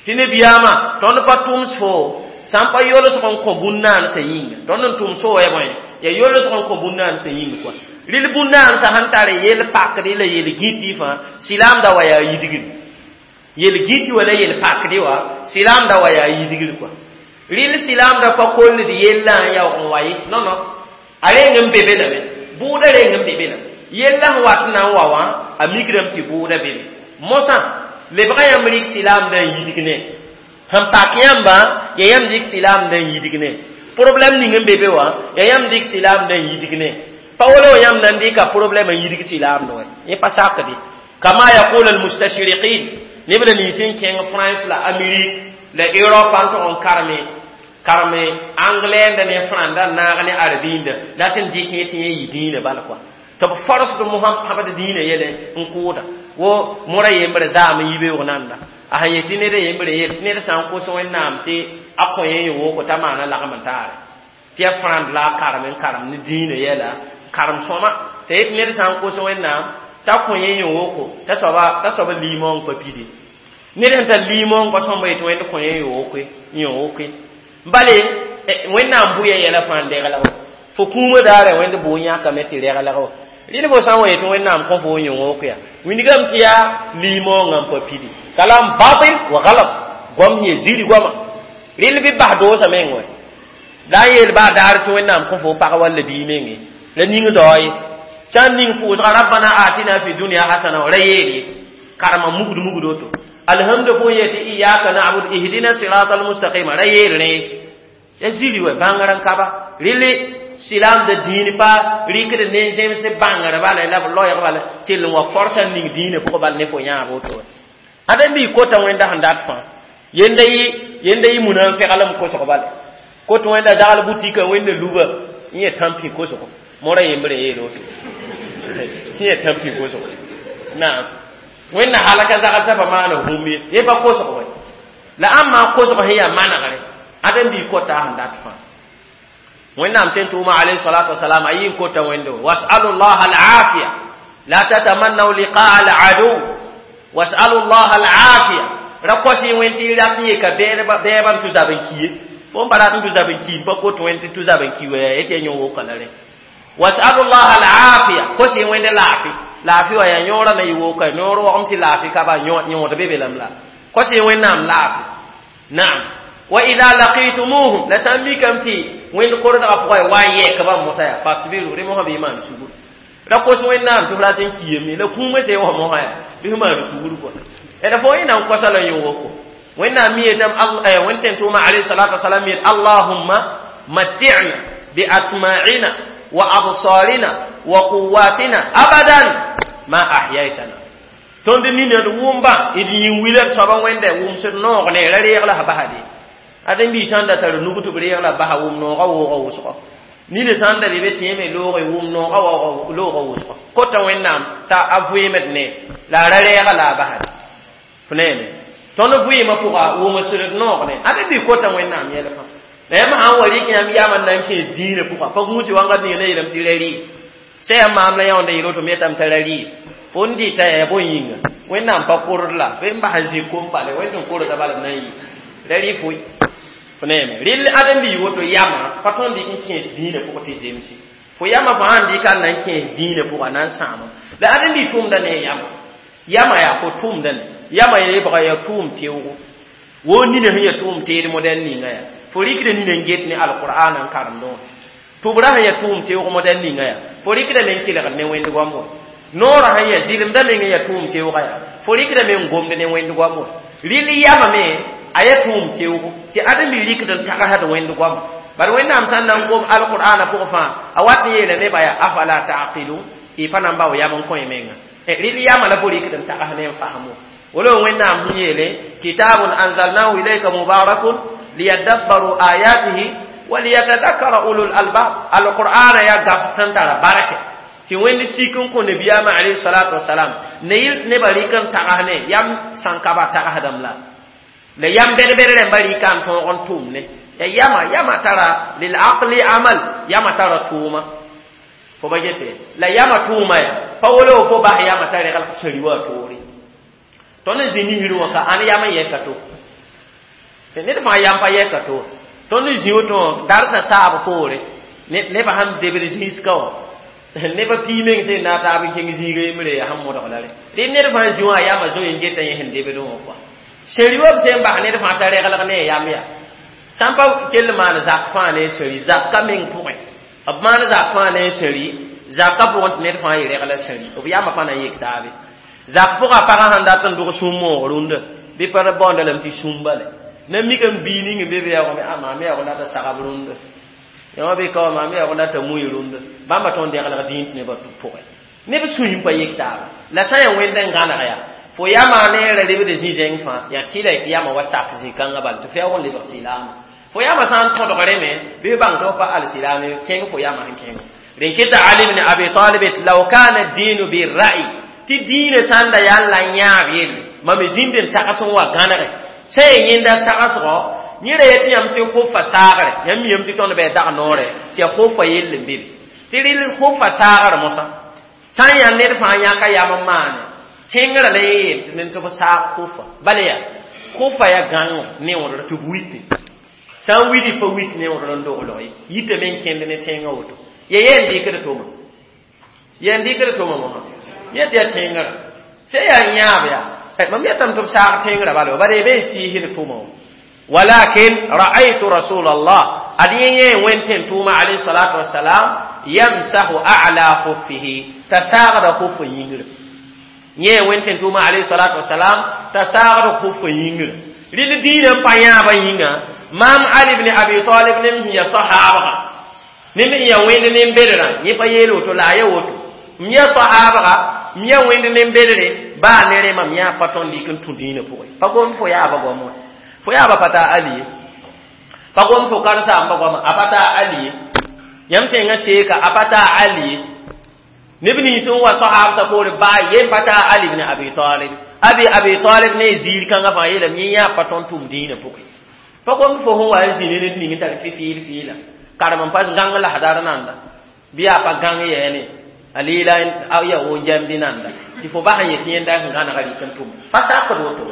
tɩ nebiyaamã tõnd pa tʋms fo sã n pa yolsg n kõ bũn-naansã yĩnga tõnd n tʋms fo wa ya bõe ya yolsg n kõ bũn-naansã yĩng kɔa rɩl bũn-naansã sẽn tar yel pakde la yel gĩtɩ fãa silaamda wa yaa yidgr yel gĩtɩ wa la yel pakde wa silaamda wa yaa yidgr kɔa rɩl silaamda pa kolld yellã n yaoog n wa ye non non a reng n be be lame bʋʋda reng n be be la yella sẽn wat n na n wa wã a mikrame tɩ bʋʋda be be mosã lebga yãmb rɩk silaamda n yidg ne sẽn pak yãmba ya yãmb dɩk silaamda n yidg ne problème ning n be be wã ya yãmb dɩk silaamda n yidg ne pa wala yãmb na n dɩka problème n yidg silaamda wa yẽ pa sakde kama yaqul almustashriqin neb la nins n kẽng France la Amérique la Europe n tog n karme karme anglais nda ne franda naag ne arabinda la tɩ n dɩk yẽ tɩ yẽ yɩ dĩinã bala kɔa tɩ b forsd mosã pãbd dĩinã yɛlɛ n kʋʋda wo mora yembre zaam n yibeoog nanda a sẽn yetɩ ned yembre yel tɩ ned sã n kos wẽnnaam tɩ a kõ yẽ yẽ woko t'a maana lagm n taare tɩ ya frãnd la a karem n karem ne dĩinã yɛla karem sõma t'a yet ned sã n kos wẽnnaam t'a kõ yẽ yẽ woko t'a soaba t'a soaba liimong pa pide ned sẽn tar liimong pa sõmba yetɩ wẽnd kõ yẽ yẽ wokoe yẽ wokoe bale wẽnnaam bʋya yɛla fãa n deglg fo kũumã daara wẽnd bʋʋ yãkame tɩ reglg rɩl fo sã n wa yetɩ wẽnnaam kõ fo yẽ wok ya wingame tɩ yaa liimoongã n pa pidi kalam batil wa galab goam sẽn ya ziri goama rɩl bɩ bas doosa meng wɛ la n yeel baa daar tɩ wẽnnaam kõ fo pag walla bii menge la ning dao ye sã n ning pʋʋsga rabbana atina fi dunya hasana ra yeel ye karema mugd mugd woto alhamdu fo yetɩ iyaka na'bud ihdina sirata almustaqima ra yeel rẽ ya ziri wɛ bãngr n kaba rɩle silaamda dĩin pa rɩkd nen-zems bãngr bala la b loɛɛg bala tɩ l n wa forsa n ning dĩinã pʋgã bal ne fo yãab woto wɛ ãdem-biig kota wẽnda sẽn dat fãa yenda yɩ yenda yɩ munafɩglem kosg bala kot wẽnda zagl butika wẽnda luba n yẽ tãmpi kosgo mora yembre yeel woto tɩ yẽ tãmpi kosgo naam wẽnna halaka zagl t'a pa maana bũmb ye yẽ pa kosg wɛ la ãmb kosg sẽn yaa manegre ãdem-biig kota sẽn dat fãa wẽnnaam tẽn tʋʋma alayhi salatu wasalam a yɩ n kota wẽndo wasalu llah alafiya la tatamannaw liqaa aladu wasalu llah alafiya ra kos yẽ wẽnd tɩ y rat n yeka bɛɛbã n tʋ zab n ki ye fo n pa rat n tʋ zab n ki n pa kot wẽnd tɩ tʋ zab n ki wɛ tɩ ya yõ woka la rẽ wasalu llah alafiya kos yẽ wẽnd laafɩ laafɩ wa yaa yõorã me yɩ woka noor wagem tɩ laafɩ ka ba yõod be be lame la kos yẽ wẽnnaam laafɩ naam wa ida laqitumuhum la sã n mikame tɩ wẽnd kordgã pʋgã wa n yɛk bãmb mosã yaa fasbiru rẽ mosã bɩ y maan sugr ra kos wẽnnaam tɩ f rat n kiyame la kũumã sẽn wa mosã yaa bɩ f maan sugr kɔa d fo yẽ na n kosa la yẽ woko wẽnnaam mi yetame wẽnd tẽn tʋʋma alayhi salatu wasalam yet allahumma matti'na bi asma'ina wa absarina wa quwwatina abadan ma ahyaytana tõnd nina d wʋmba d yĩn wila d soaba wẽnda wʋmsd noog ne ra reeg la sã basde ãdem-biig sã n da tar nug tɩ b reeg la basa wʋm noogã woogã wʋsgo nina sã n da be be tẽeme loogẽ wʋm noogã loogã wʋsgo kota wẽnnaam t'a a vɩɩmd ne la a ra reega la a basde f neeme tõnd vɩɩmã pʋga wʋmsd noog ne ãdem-biig kota wẽnnaam yɛl fãa La yãmb sã n wa rɩk yãmb yam n na n kẽes dĩinã pʋga pa gũusi wãnga ning ne yeelame tɩ ra rɩ sã yãmb maam la yãonda yeel woto me yetame t'a ra rɩ fo n dɩta yaa bõe yĩnga wẽnnaam pa kord la fo n bas n zĩ kom bale wẽnd tɩ n kordã bala b na n yɩ ra rɩ foe fo neeme rɩl ãdem-biig woto yamã pa tõnd dɩk n kẽes dĩinã pʋgẽ tɩ zemse fo yamã fo sãn dɩka n na n kẽes dĩinã pʋga na n sãama la ãdem-biig tʋmda ne yamã yamã yaa fo tʋmda ne yamã yebga yaa tʋʋm teoogo wo nina sẽn yaa tʋʋm teed modɛl ninga yaa fo rɩkda nina n get ne alqur'an n karemdẽ wã tʋbrã sẽn yaa tʋʋm teoog modɛl ninga yaa fo rɩkdame n kelgd ne wẽnd goam wã noorã sẽn yaa zɩlemdã meng n yaa tʋʋm teoogã yaa fo rɩkdame n gomd ne wẽnd goam wã rɩl yamã me a yaa tʋʋm teoogo tɩ ãdem-bi rɩkd n tagsd wẽnd goam bad wẽnnaam sã n na n gom alqur'ana pʋgẽ fãa a wat n yeela nebã yaa afala taqilun y pa na n bao yam n kõ y menga rɩl yamã la fo rɩkd n tags ne n fasmo wala wẽnnaam sẽn yeele kitabun anzalnahu ilayka mubarakun liyadabbaru ayatihi wa liyatadakkara ulul albab alqur'ana ya gaf tẽn tara barke tɩ wẽnd sik n kõ nabiyaamã alayhi salatu wasalam ne yɩl nebã rɩk n tags ne yam sãn ka ba tagsdame la la yam bɛd-bɛd rãmba rɩka n tõog n tʋm ne ya yama yama tara lil aqli amal yama tara tʋʋma fo ba gete la yama tʋʋma ya pa wolo fo bas yama t'a regl sari wa toore tõnd n zĩ nisr wã ka ãn yam n yɛka to ned fãa yam pa yɛka to tõnd n zĩ woto darsa saab poore nebã sãn debd zĩiska wã nebã pii meng sẽn na taab n kẽng zĩiga yembre yaa sẽn modg la re rɩ ned fãa zĩ wã yamã zoe n geta yẽ sẽn debd wã kɔa seri wa b sẽn bas ned fãa t'a reglg ne yam yaa sãn pa kell maan zak fãa ne seri zakka meng pʋgẽ b maan zak fãa ne seri zakka pʋgẽ tɩ ned fãa yɩ regla seri b yamã pa na n yek taabe zak pʋgã pagã sãn dat n dog sũ-moog rũndã bɩ pa baoonda lame tɩ sũmba le na mik n bii ning n be be yaoogame a maam yaoog n dat n sagb rũndã yõ bɩ ka wa maam yaoog n dat n mui rũndã bãmba tõnd deglg dĩin tɩ nebã pʋgẽ neb sũyẽ pa yek taaba la sã n yaa wẽnd n gãneg yaa fo yamã ne ra lebd zĩ-zẽng fãa yaa tɩ la tɩ yamã wa sak zĩ-kãngã bal tɩ fo yaoog n lebg silaamã fo yamã sã n tõdg rẽ me bɩ bãng tɩ f pa al-silaame kẽng fo yamã sẽn kẽng rẽn keta Ali ibn Abi Talib law kana ad-dinu bir-ra'yi tɩ dĩinã sã n da yaa la yãab yelle mam zĩnd n tags n wa gãnege sã n yẽnda tagsgɔ yẽ ra yetɩ yãmb tɩ khofa saagre yãmb miyame tɩ tõnd bɩ dag noore tɩ yaa khofa yell n be be tɩ rɩl khofa saagr mosã sã n yaa ned fãa yãka yam n maane tẽngrã la yeel tɩ ned tɩ b saag khofa bala yaa khofa yaa gãngo neoodr tɩ b wite sã n widi pa wit neoodr n doglg ye yitame n kẽnd ne tẽngã woto ya yen dɩkd tʋma yen dɩkd tʋma mosã yẽ tɩ yaa tẽngrã sã yaa yãab yaa mam yetame tɩ b saag tẽngrã bala bala y be n siisd tʋma wã walakin ra'aytu rasulallah ad yẽ yẽ wẽnd tẽn tʋʋma alayhi salatu wasalam yamsahu a'la khuffihi t'a saagda khufa yĩngrã yẽ wẽnd tẽn tʋʋma alayhi salatu wasalam t'a saagda khufa yĩngrã rɩl dĩinã n pa yãabã yĩnga maam Ali ibn Abi Talib nem sẽn yaa sahaabga nem sẽn yaa wẽnd nen-bedrã yẽ pa yeel woto la a yaa woto m yaa sahaabga m yaa wẽnd nen-bedre baa ne rẽ mam yãa pa tõnd dɩk n tũ dĩinã pʋgẽ pa gom fo yaaba goam wã fo yaaba pa taa Ali ye pa gom fo karen-saamba goama a pa taa Ali ye yãmb tẽngã seeka a pa taa Ali ye neb nins n wa sahaabsã poore baa yen pa taa Ali ibn Abi Talib abi Abi Talib ne ziir kãngã fãa yeelame yẽ yãa pa tõnd tʋm dĩinã pʋgẽ pa gom fo sẽn wa n zĩ ne ned ning n tar fɩ-fɩɩl fɩɩla karem n pas gãng lasdar nanda bɩ yaa pa gãng yɛɛne a leela ya won jambi nanda tɩ fo bas n yetɩ yẽnda sẽn gãnega rɩk n tʋm pa sakd woto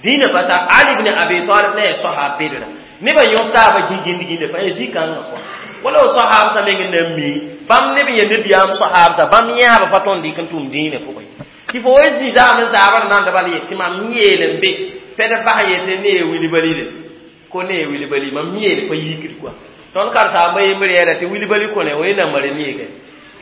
dĩinã pa sak Ali ibn Abi Talib ne yaa sahaab bedra nebã yõs taabã gĩgĩnd-gĩnda fãa yaa zĩ-kãngã kɔa wala sahaabsã meng n na n mi bãmb neb n yaa nabiyaam sahaabsã bãmb yãaba pa tõnd dɩk n tʋm dĩinã pʋgẽ tɩ fo wa zĩ zaam n zaabr nanda bala yet tɩ mam yeel n be pɛd bas yetɩ ne yaa wilbalide ko ne yaa wilbali mam yeel pa yikd kɔa tõnd karen-saamba yembr yɛɛla tɩ wilbali kõne wa namare neege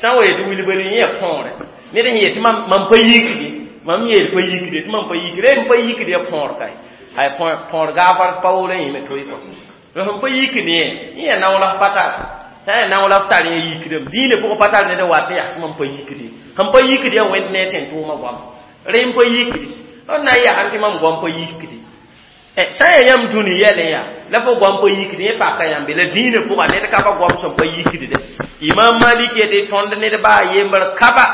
sã n wa yetɩ wilbali yẽ yaa põore ned sẽn yetɩ mam pa yikde mam yeel pa yikde tɩ mam pa yikde m pa yikd yaa põor kae ay põor gaafar pa wolo yẽme toy kɔ sẽn pa yikd yẽ yẽ yaa naoolf pa tar sã n yaa naoolf tar yẽ yikdame dĩinã pʋgẽ pa tar ned n wat yaa tɩ mam pa yikde sẽn pa yikd yaa wẽnd ne tẽn tʋʋmã goama rẽ n pa yikde d na n yaa tɩ mam goam pa yikde sã n yaa yãmb dũni yɛlẽ yaa la fo goam pa yikd yẽ paka yãmbe la dĩinã pʋga ned ka pa goam sẽn pa yikdde Imam Malik yetɩ tõnd ned baa yembr kaba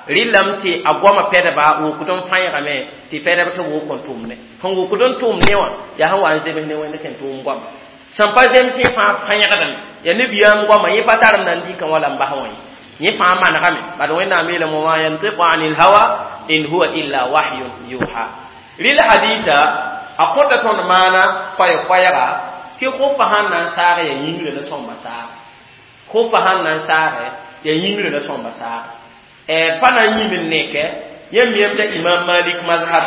rɩlame tɩ a goamã pɛdba wokd n fãeegame tɩ pɛdb tɩ b wok n tʋmne sẽn wokd n tʋm ne wã yaa sẽn wa n zems ne wẽnd tẽn tʋʋm goama Sẽn pa zems yẽ fãa fãyẽgdame ya nabiyaam goama yẽ pa tar n na n dɩkã wala n bas wã ye yẽ fãa manegame bad Wẽnnaam yeelame wama yantiqu anil hawa in huwa illa wahyun yuha. Rɩla hadisa a kõta tõnd maana koɛɛ-koɛɛga tɩ khufa sãn na n saag ya yĩngrã la sõmba saag khufa sãn na n saage ya yĩngrã la sõmba saag pa na n yĩm n neke yãmb yem t'a Imam Malik mazhab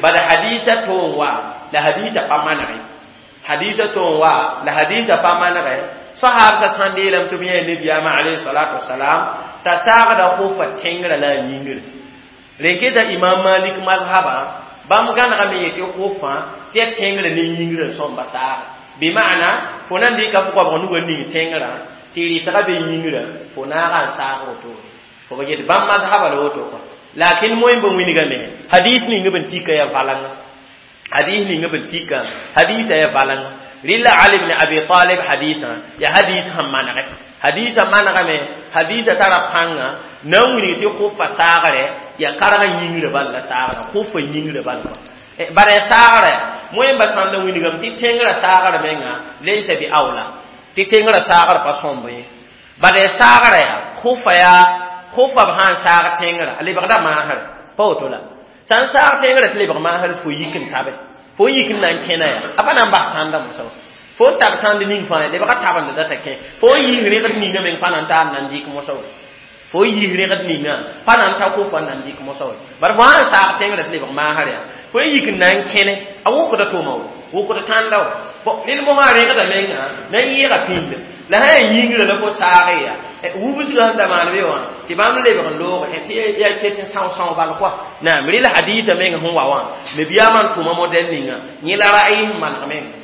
bad hadisa toon wa la hadisa pa manege hadisa toon wa la hadisa pa manege sahabsa sãn deelame tɩ b yã nabiyaamã alayhi salatu wasalam t'a saagda khufa tẽngrã la a yĩngrã rẽn Imam Malik mazhaba bãmb gãnegame yetɩ khufã tɩ ya tẽngrã ne yĩngrã n sõmba saaga bɩ maana fo na n dɩka fo koabg nugã ning tẽngrã tɩ rɩtga be yĩngrã fo naaga n saag wotone fo ba yet bãmb mazhaba la woto kɔa lakin moẽ bã wingame hadis ning b n tika ya valanga hadis ning b n tika hadisa ya valanga rɩla Ali ibn Abi Talib hadisã ya hadis sẽn manege hadisa manegame hadisa tara pãnga na n wilg tɩ khufa saagre ya karg yĩngrã bal la saagra khufa yĩngrã bal kɔa bara ya saagra moẽmba sãn da wilgame tɩ tẽngrã saagra menga laysa bi awla tɩ tẽngrã saagra pa sõmb ye bara ya saagra ya khufa ya khufa b sãn saag tẽngrã a lebgda maasre pa woto la sãn saag tẽngrã tɩ lebg maasr fo yik n tabe fo yik n na n kẽna ya a pa na n bas tãnda mosã fo n tab tãnd ning fãa lebga tabend data kẽ fo n yiis rẽgd ninga meng pa na n taar na n dɩk mosã we fo n yiis rẽgd ninga pa na n ta khufa n na n dɩk mosã we bara fo sãn saag tẽngrã tɩ lebg maasr ya fo n yik n na n kẽne a wʋkda tʋʋma wo wʋkd tãnda wo bon rẽnd mosã rẽgda menga na n yɩɩga pĩnda la sã yaa yĩngrã la fo saag ya wubsgã sẽn da maan be wã tɩ bãmb lebg n loog tɩ yaa ket n são-são bal kɔa naam rɩla hadisa meng sẽn wa wã nabiyaamã n tʋma modɛl ninga yẽ la ra'yi sẽn maneg menga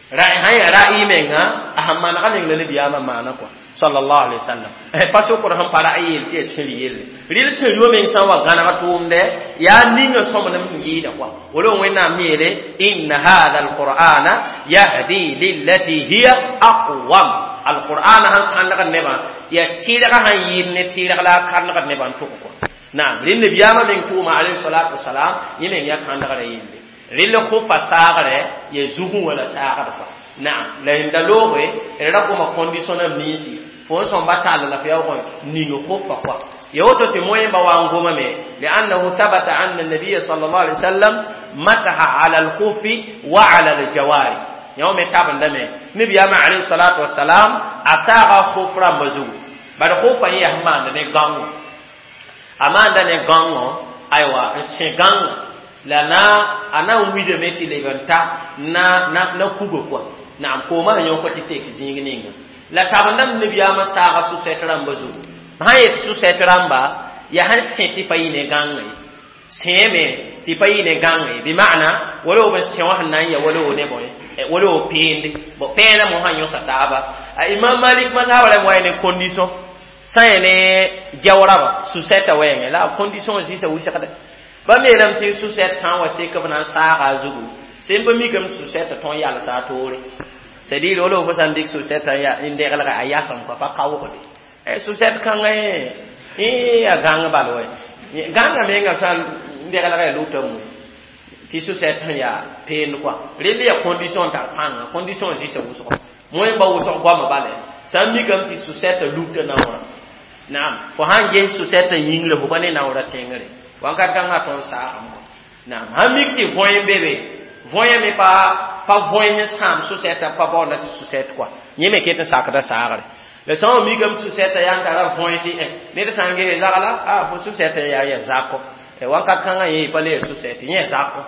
sã yaa ra'yi menga a sẽn manega meng la nabiyaamã maana kɔa sallallahu alaihi wasallam pa sokd sẽn pa ra'yi yel tɩ yaa sẽri yelle rɩl sẽri wã meng sã n wa gãneg tʋʋmdɛ yaa ninga sõmnem sẽn yɩɩda kɔa wala Wẽnnaam yeele inna hadha alqur'ana yahdi lillati hiya aqwam alqur'an sãn kãndgd nebã yaa tɩrgã sãn yɩɩd ne tɩrg la a kãndgd nebã n tʋg kɔa naam rẽnd nabiyaamã meng tʋʋma alayhi salatu wasalam yẽ meng yaa kãndgrã yelle rẽnd khufa saagre ya zugẽ wala saagd fã naam la yẽnda looge d ra goma condition nam ninsi fo n sõmba tall la fo yaoog ning khufa kɔa ya woto tɩ moẽmba wa n gomame liannahu thabata anna nabiya sal llahu alih wasallam masaha ala alkhufi wa ala aljawari yõ me tabendame nabiyaamã alayhi salatu wasalam a saaga khuf rãmbã zugu bad khufa yẽ yaa sẽn maanda ne gãngo a maanda ne gãngo aywa n sẽ gãnga la na a na n widame tɩ leb n ta na na na kuga kɔa naam koomã sẽn yõk tɩ tek zĩig ninga la tabendame nabiyaamã saaga sʋsɛt rãmbã zugu sã yet sʋsɛt rãmba yaa sẽn sẽ tɩ pa yɩ ne gãnga ye sẽeme tɩ pa yɩ ne gãnga ye bɩ maana wala b n sẽ wã sẽn na n ya wala ne bõe wala o peende bon pẽenã mo sãn yõsa taaba a Imam Malik mazhaba la wa ne condition sã yẽ ne jawraba sʋsɛtã wɛɛngẽ la a condition zĩsa wʋsgda bãmb yeelame tɩ sʋsɛt sã n wa sek b na n saaga a zugu sẽn pa mikame tɩ sʋsɛtã tõn yalsa a toore c'est à dire wala fo sã n dɩk sʋsɛtã n deglga a yasem kɔa pa kaoogde sʋsɛt kãngã yẽ a gãng bal wɛ gãngã menga sã n deglga ya lʋta mu tɩ sʋsɛt sẽn yaa peend kɔa rẽnd yaa condition tar pãnga condition zĩsa wʋsgo moẽmba wʋsg goamã bala sã n mikame tɩ sʋsɛtã lugta naoorã naam fo sãn ges sʋsɛtã yĩngrã fo pa ne naoorã tẽngre wakat kãngã tõnd saagame kɔa naam sãn mik tɩ võe n be be võe me pa pa võe sẽn sãam sʋsɛtã pa baoonda tɩ sʋsɛt kɔa yẽ me ket n sakda saagre la sã n mikame tɩ sʋsɛtã yaa n tara võe tɩ ned sã n ges zagla a fo sʋsɛtã yaa ya zakɔ wakat kãngã yẽ pa le ya sʋsɛt yẽ zakɔ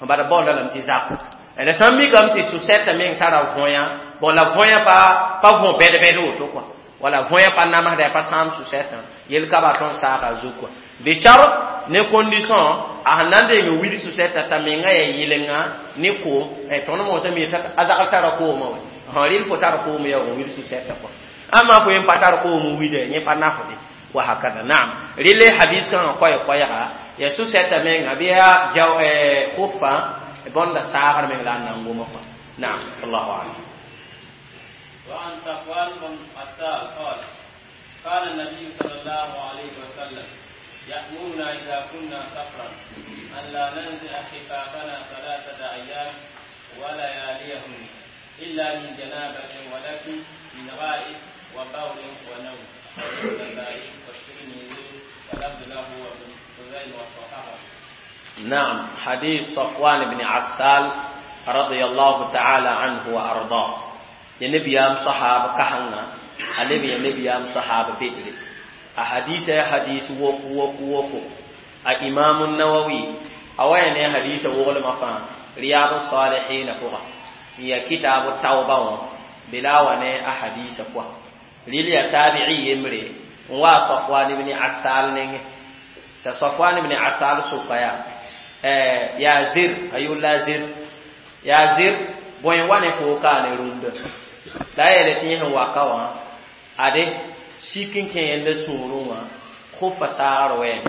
bada baoonda lame tɩ zakɔ la sã n mikame tɩ sʋsɛtã meng tara võya bon la võya pa pa võ bɛd-bɛd woto kɔa wala võya pa namsda pa sãam sʋsɛtã yel ka ba tõnd saaga a zug kɔa bishart ne condition a sẽn na n deng wil sʋsɛtã t'a menga ya yɩlenga ne koom tõnd mosã mi a zagl tara koomã wɛ rɩl fo tar koom ya wil sʋsɛtã kɔa amma fo yẽ pa tar koom wida yẽ pa nafde wa hakada naam rɩle hadis kãngã koɛɛ-koɛɛga ya sʋsɛtã menga bɩ yaa jaw khufa bõnda saagr meng la a na n goma kɔa naam allahu alam. وعن صفوان بن عسال قال قال النبي صلى الله عليه وسلم يأمرنا إذا كنا سفرا أن لا ننزع خفافنا ثلاثة أيام ولياليهن إلا من جنابة ولكن من غائط وبول ونوم. النسائي والترمذي ولفظ له وابن خزيمة وصححه. نعم، حديث صفوان بن عسال رضي الله تعالى عنه وأرضاه. يا نبي صحابة كهنا النبي يا نبي صحابة بدر. أحاديث حديث وق وق وق. الإمام النووي أوين حديث وغل مفان رياض الصالحين فوق. هي كتاب التوبة بلا ونه أحاديث فوق. للي تابعي يمري وصفوان بن عسال نينه. تصفوان بن عسال سوقيا يا زر أيو لا زر يا زر بوين وانه فوقا نروند لا يلتيه واقوا أدي سيكين كين لسوروا خوف سار وين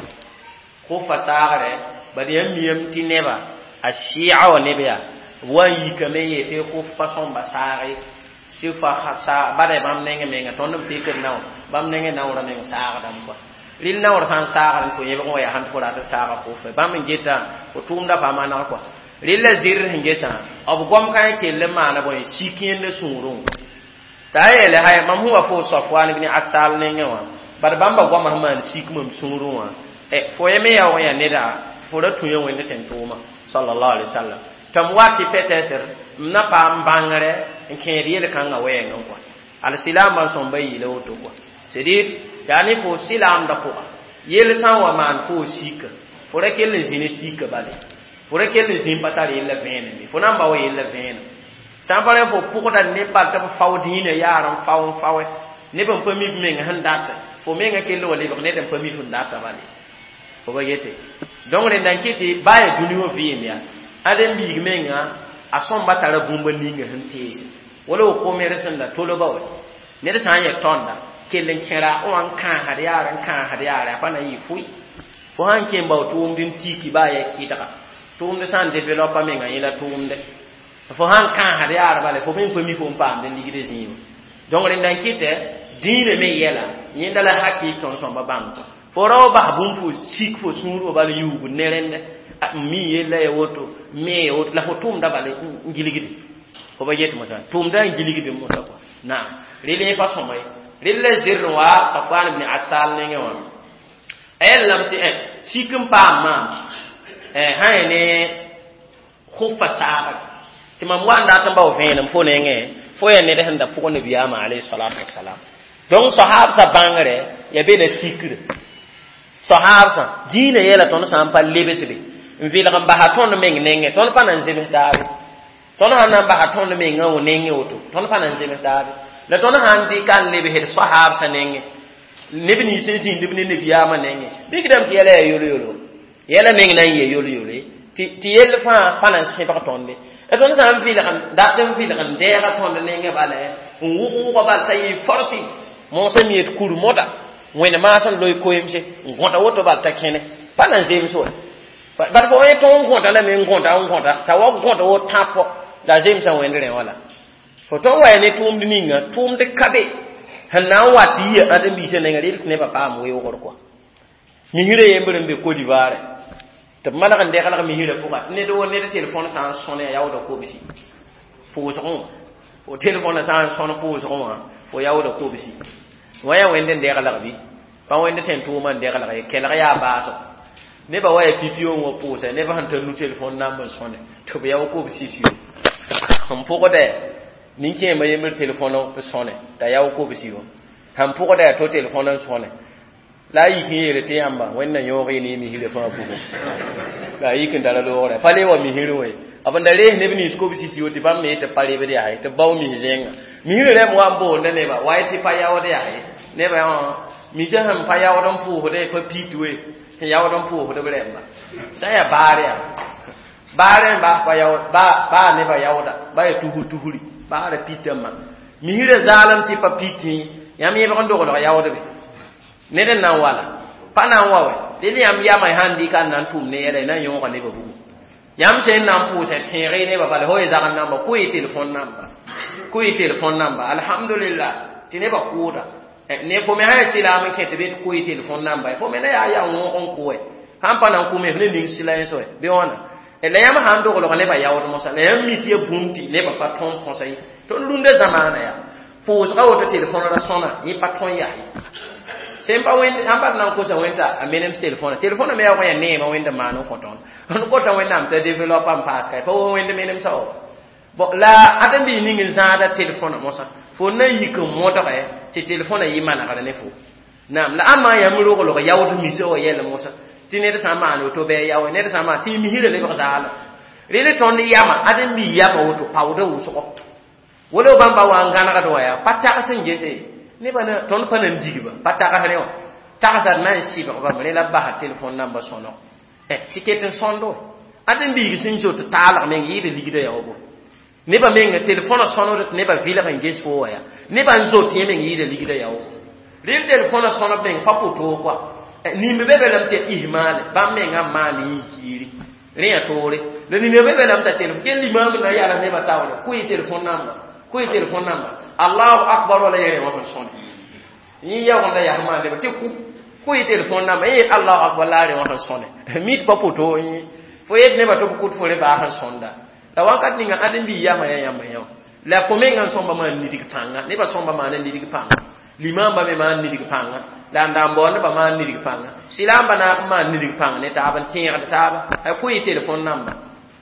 خوف سار بدي يم تنبا الشيعة ونبيا وين يكمل يته خوف فصام بساري سيفا خسا بدي بام نيجي ميجا تونم بيكر ناو بام نيجي ناو رمين سار دم ril naoor sã n saagr fo yẽbg wã yaa sãn fo rat n saaga kʋfɛ bãmb n geta fo tʋʋmda pa maneg kɔa rel la zɩr sẽn gesã b goam kã kell n maana bõe sik yẽnd sũurẽ t'a a yeele hay mam sẽn wa fo Safwan ibn Asal nengẽ wã bad bãmba goamã sẽn maan sik mam sũurẽ wã fo ye me yaa wã yaa neda fo ra tũ ya wẽnd tẽn-tʋʋma sallallahu alaihi wasallam tɩ m wa tɩ peut-être m na paam bãngre n kẽed yel-kãngã wɛɛngẽ kɔa alsilaambã sõmba yeela woto kɔa c'est-à-dire yaa ne fo silaamdã pʋga yel sã n wa maan fo sika fo ra kell n zĩ ne sika bale fo ra kell n zĩ n pa tar yella vẽenem ye fo na n ba wa yella vẽenem sã n pa rẽ fo pʋgda neb bal tɩ b fao dĩinã yaar n fao n faoe neb n pa mi b meng sẽn data fo menga kell wa lebg ned n pa mi f n data bale fo ba yete donc rẽnda n kɩ tɩ baa yaa dũni wã vɩɩm yaa ãdem biig menga a sõmba tara bũmb ninga sẽn tees wala wo komer sẽn da tolba wa ned sã n yɛ tõnda kell n kẽra wã n kãasd yaar n kãasd yaar a pa na n yɩ fʋɩ fo sãn kẽ bao tʋʋmd n tiki baa ya kɩdga tʋʋmd sã n développa menga yẽla tʋʋmde fo sãn kãasd yaar bala fo me n pa mi fo n paamd n ligd zĩigã donc rẽnda n kɩtɛ dĩinã me yɛla yẽnda la hakɩɩk tõnd sõmba bãng fo ra wa bas bũmb fo sik fo sũur wã bal yuugd ne rẽndɛ mi yella ya woto me ya woto la fo tʋʋmda bala n gilgde fo ba yet mosã tʋʋmda n gilgd mosã kɔa naam rel yẽ pa sõma ye rel la zɩr n wa Safwan ibn Asal nengẽ wã a yellame tɩ sik n paam maam sã ya ne khufa saagre tɩ mam wa n dat n bao vẽenem fo nengẽ fo yaa ned sẽn da pʋg nabiyaamã alayhi salatu wasalam donc sahaabsã bãngre ya be la tikre sahaabsã dĩinã yɛla tõnd sã n pa lebsbe n vɩlg n basa tõnd meng nengẽ tõnd pa na n zems taabe tõnd sãn na n basa tõnd mengã wã nengẽ woto tõnd pa na n zems taabe la tõnd sãn dɩka n lebsd sahaabsã nengẽ neb nins sẽn zĩnd b ne nabiyaamã nengẽ mikdame tɩ yɛla yaa yolo-yolo yɛla meng na n yɩ yolo-yolo tɩ yell fãa pa na n sẽbg tõnde la tõnd sã n vɩlg dat n vɩlg n dɛɛga tõnd nengẽ bala n wʋg wʋga bal t'a yɩ forsi moosã mi yet kur moda wẽnd maas n loe koeemse n gõta woto bal t'a kẽne pa na n zems wa bad fo yẽ tõog n gõta lame n gõta n gõta t'a wa gõta wo tãpɔ la a zemsã wẽnd rẽ wala fo tõnd wa ya ne tʋʋmd ninga tʋʋmd ka be sẽn na n wa tɩ yia ãdem-biisã nenga rel tɩ nebã paam weoogr kɔa misrã yembr n be Côte d'Ivoire tɩ b maneg n deglg misrã pʋga tɩ ned wo ned telefon sã n sõne a yaooda kobsi pʋʋsgẽ fo telefon sã n sõn pʋʋsgẽ wã fo yaooda kobsi wã yaa wẽnd n deglg bɩ pa wẽnd tẽn tʋʋmã n deglg ye kelg yaa baasgo nebã wa yaa pipi wã pʋʋsa nebã sẽn tar nu telefon namb n sõne tɩ b yao kobsi siyo n pʋgdɛ nin-kẽemã yembr telefon n sõne t'a yao kobsi wã sãn pʋgda yaa to telefon n sõne la a yik n yeele tɩ yãmba wẽnna yõog y ne misrã fãa pʋgẽ la a yik n tara loogrã pa le wa misrẽ wã ye b n da rees neb nins kobsi siyo tɩ bãmb me tɩ pa rebd yaa ye tɩ b bao mis zẽnga misrã rãmb wa n boonda nebã wa ye tɩ pa yaood yaa ye nebã misã sẽn pa yaood n pʋʋsdẽ pa pit we sẽn yaood n pʋʋsd b rẽmba sã n yaa baar yaa baar n bas pa yaood baa nebã yaooda ba yaa tusr tusri baara pitãmbã misrã zaalem tɩ pa pitẽ yãmb yẽbg n dogdg yaoodbe ned n na n wala pa na n wa wɛ rel yãmb yamã sãn dɩka n na n tʋm ne yɛla y na n yõoga nebã bugu yãmb sẽn na n pʋʋsã tẽeg nebã bala fo ye zagn namba kʋ y telefon namba kʋ y telefon namba alhamdulillah tɩ nebã kʋʋda ne fo me sã ya sɩlaam n kẽ tɩ be tɩ kʋ y telefon namba fo me na yaa yaa wõog n kʋ sãn pa na n kʋ me f ne ning sɩla yẽ soɛ bɩ wãna La yãmb sã n doglg nebã yaood mosã la yãmb mi tɩ ya bũmb tɩ nebã pa tõe n põsa ye tõnd rũndã zamaana yaa pʋʋsga woto telefõn ra sõna yẽ pa tõe n yaa ye sẽn pa wẽnd sãn pa d na n kosa wẽnd t'a a menems telefõna telefõna me yaoog n yaa neemã wẽnd n maan n kõ tõnd n kota wẽnnaam t'a développe n paas ka pa wa wẽnd menemsã wa bon la ãdem-biis ning n zãada telefõna mosã fo na n yik n modge tɩ telefõna yɩ manegr ne fo naam la ãmba yãmb roglg yaood misa wa yɛl mosã tɩ ned sã n maan woto bɩ a yaoe ned sã n maan tɩ y misrã lebg zaalem rel tõnd yama ãdem-biis yama woto paoodã wʋsgo wala bãmba wa n gãnegd wã yaa pa tags n gese nebã na tõnd pa na n digba pa tagsrẽ wã tagsd na n sɩbg bame rẽ la b basa telefõn namba sõnog tɩ ket n sõndo ãdem-biig sẽn zot taalg meng yɩɩd ligdã yaa wa bo nebã menga telefõnã sõnod tɩ nebã vɩlg n ges fo wã yaa nebã n zot yẽ meng yɩɩda ligdã yaa wa rel telefõnã sõnb meng pa pʋ-toog kɔa nimb be be lame tɩ yaa ihmaale bãmb mengã n maan yĩn-kiiri rẽ yaa toore la nina be be lame t'a telefon kell limaam na yalg nebã taoore kʋ-y telefon namba kʋ-y telefon namba allahu akbar wala yẽ rẽ wã sẽn sõne yẽ yaoogenda yaa maan nebã tɩ kʋ kʋ-y telefon namba yẽ allahu akbar la a rẽ wã sẽn sõne mi tɩ pa pʋ-toog yẽ fo yet nebã tɩ b kʋt fo rẽ baa sẽn sõnda la wakat ninga ãdem-biig yama yaa yãmb yã la fo mengã n sõmba maan nidg pãnga nebã sõmba maana nidg pãnga limamba me maan nidg pãnga la n da n bao nebã maan nidg pãnga sɩlaamba naag n maan nidg pãng ne taab n tẽegd taaba a kʋ-y telefon namba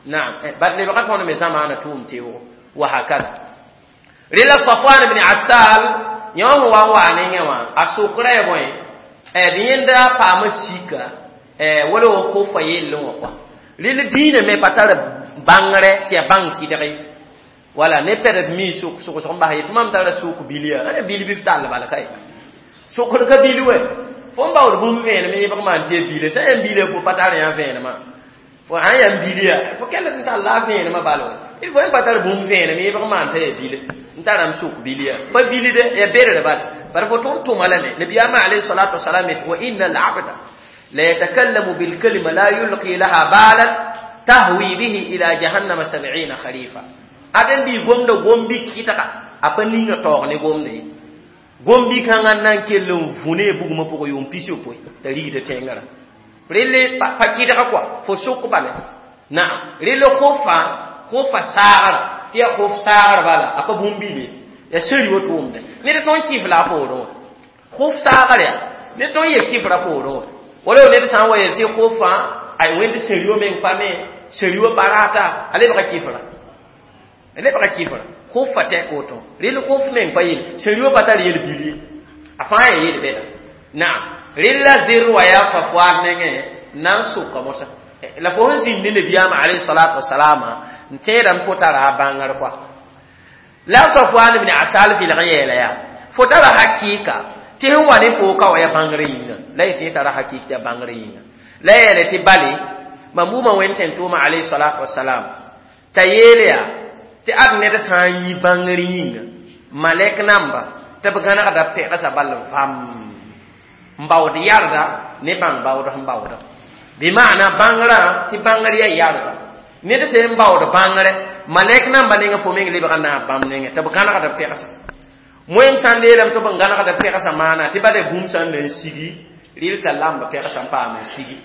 naam bad lebga tõnd me zamaana tʋʋm teoogo wa hakada rela Safwan ibn Assal yã wã wa n waa nengẽ wã a sokra ya bõe d yẽnda paama sika wala wa kofa yellẽ wã kɔa rel dĩinã me pa tar bãngrɛ tɩ yaa bãng kɩdge wala ne pɛd mi sʋk sʋgsg n bas yetɩ mam tara sʋk bil yaa ãna bil bɩ f tall bala ka ye sokd ka bil wɛ fo n baood bũmb vẽenem yẽbg maan tɩ ya bile sã yã bile fo pa tar yã vẽenemã fo sã n yaa n bil yaa fo kell n tall la a vẽenemã bala wɛ il faut yẽ pa tar bũmb vẽenem yẽbg maan t'a yaa bile n tarame sʋk bil yaa pa bilde yaa berre bala bara fo tõnd tʋma lame nabiyaamã alayhi salatu wasalam yet wa inna al-abda la yatakallamu bilkalima la yulqi laha balan tahwi bihi ila jahannama sab'ina kharifa ãdem-biig gomda gom-bi kɩtga a pa ninga taoog ne gomda ye gom-bi kãngã n na n kell n vũ ne bugmã pʋgã yʋʋm pis-yopoe t'a rigda tẽngã relle pa kɩdga kɔa fo sʋk bale naam relle khofa khofa saagra tɩ yaa khof saagr bala a pa bũmb-biile yaa sẽri wa tʋʋmda ned tõnd kɩf la a poorẽ wã khof saagr yaa ned tõnd yel kɩfra poorẽ wã wala ned sã n wa yel tɩ khofã ay wẽnd sẽri wã meng pa me sẽri wã barata a lebga kɩfra a lebga kɩfra khofa tɛk woto rel khof meng pa yel sẽri wã pa tar yel bil ye a fãa yaa yel bɛda naam rel la zer wa yaa Safwan nengẽ na n soka mosã la fo sẽn zĩnd ne nabiyaamã alayhi salatu wasalama n tẽedame fo tara a bãngr kɔa la Safwan ibn Asal vɩlg n yeela yaa fo tara hakɩɩka tɩ sẽn wa ne fo ka wa yaa bãngr yĩnga la yetɩ yẽ tara hakɩɩk tɩ yaa bãngr yĩnga la yeele tɩ bale mam wʋma wẽnd tẽn-tʋʋmã alayhi salatu wasalam t'a yeel yaa tɩ ad ned sã n yi bãngr yĩnga malɛk namba tɩ b gãnegda pɛgsa bal vãm n baood yarda ne bãng baood sẽn baooda bɩ maana bãngrã tɩ bãngr yaa yarda ned sẽn baood bãngrɛ malɛk namba nengẽ fo meng lebga naab bãmb nengẽ tɩ b gãnegd pɛgsa moem sã n leelame tɩ b n gãnegd pɛgsa maana tɩ bada bũmb sã n na n sigi rɩl t'a lamba pɛgsa n paam n sigi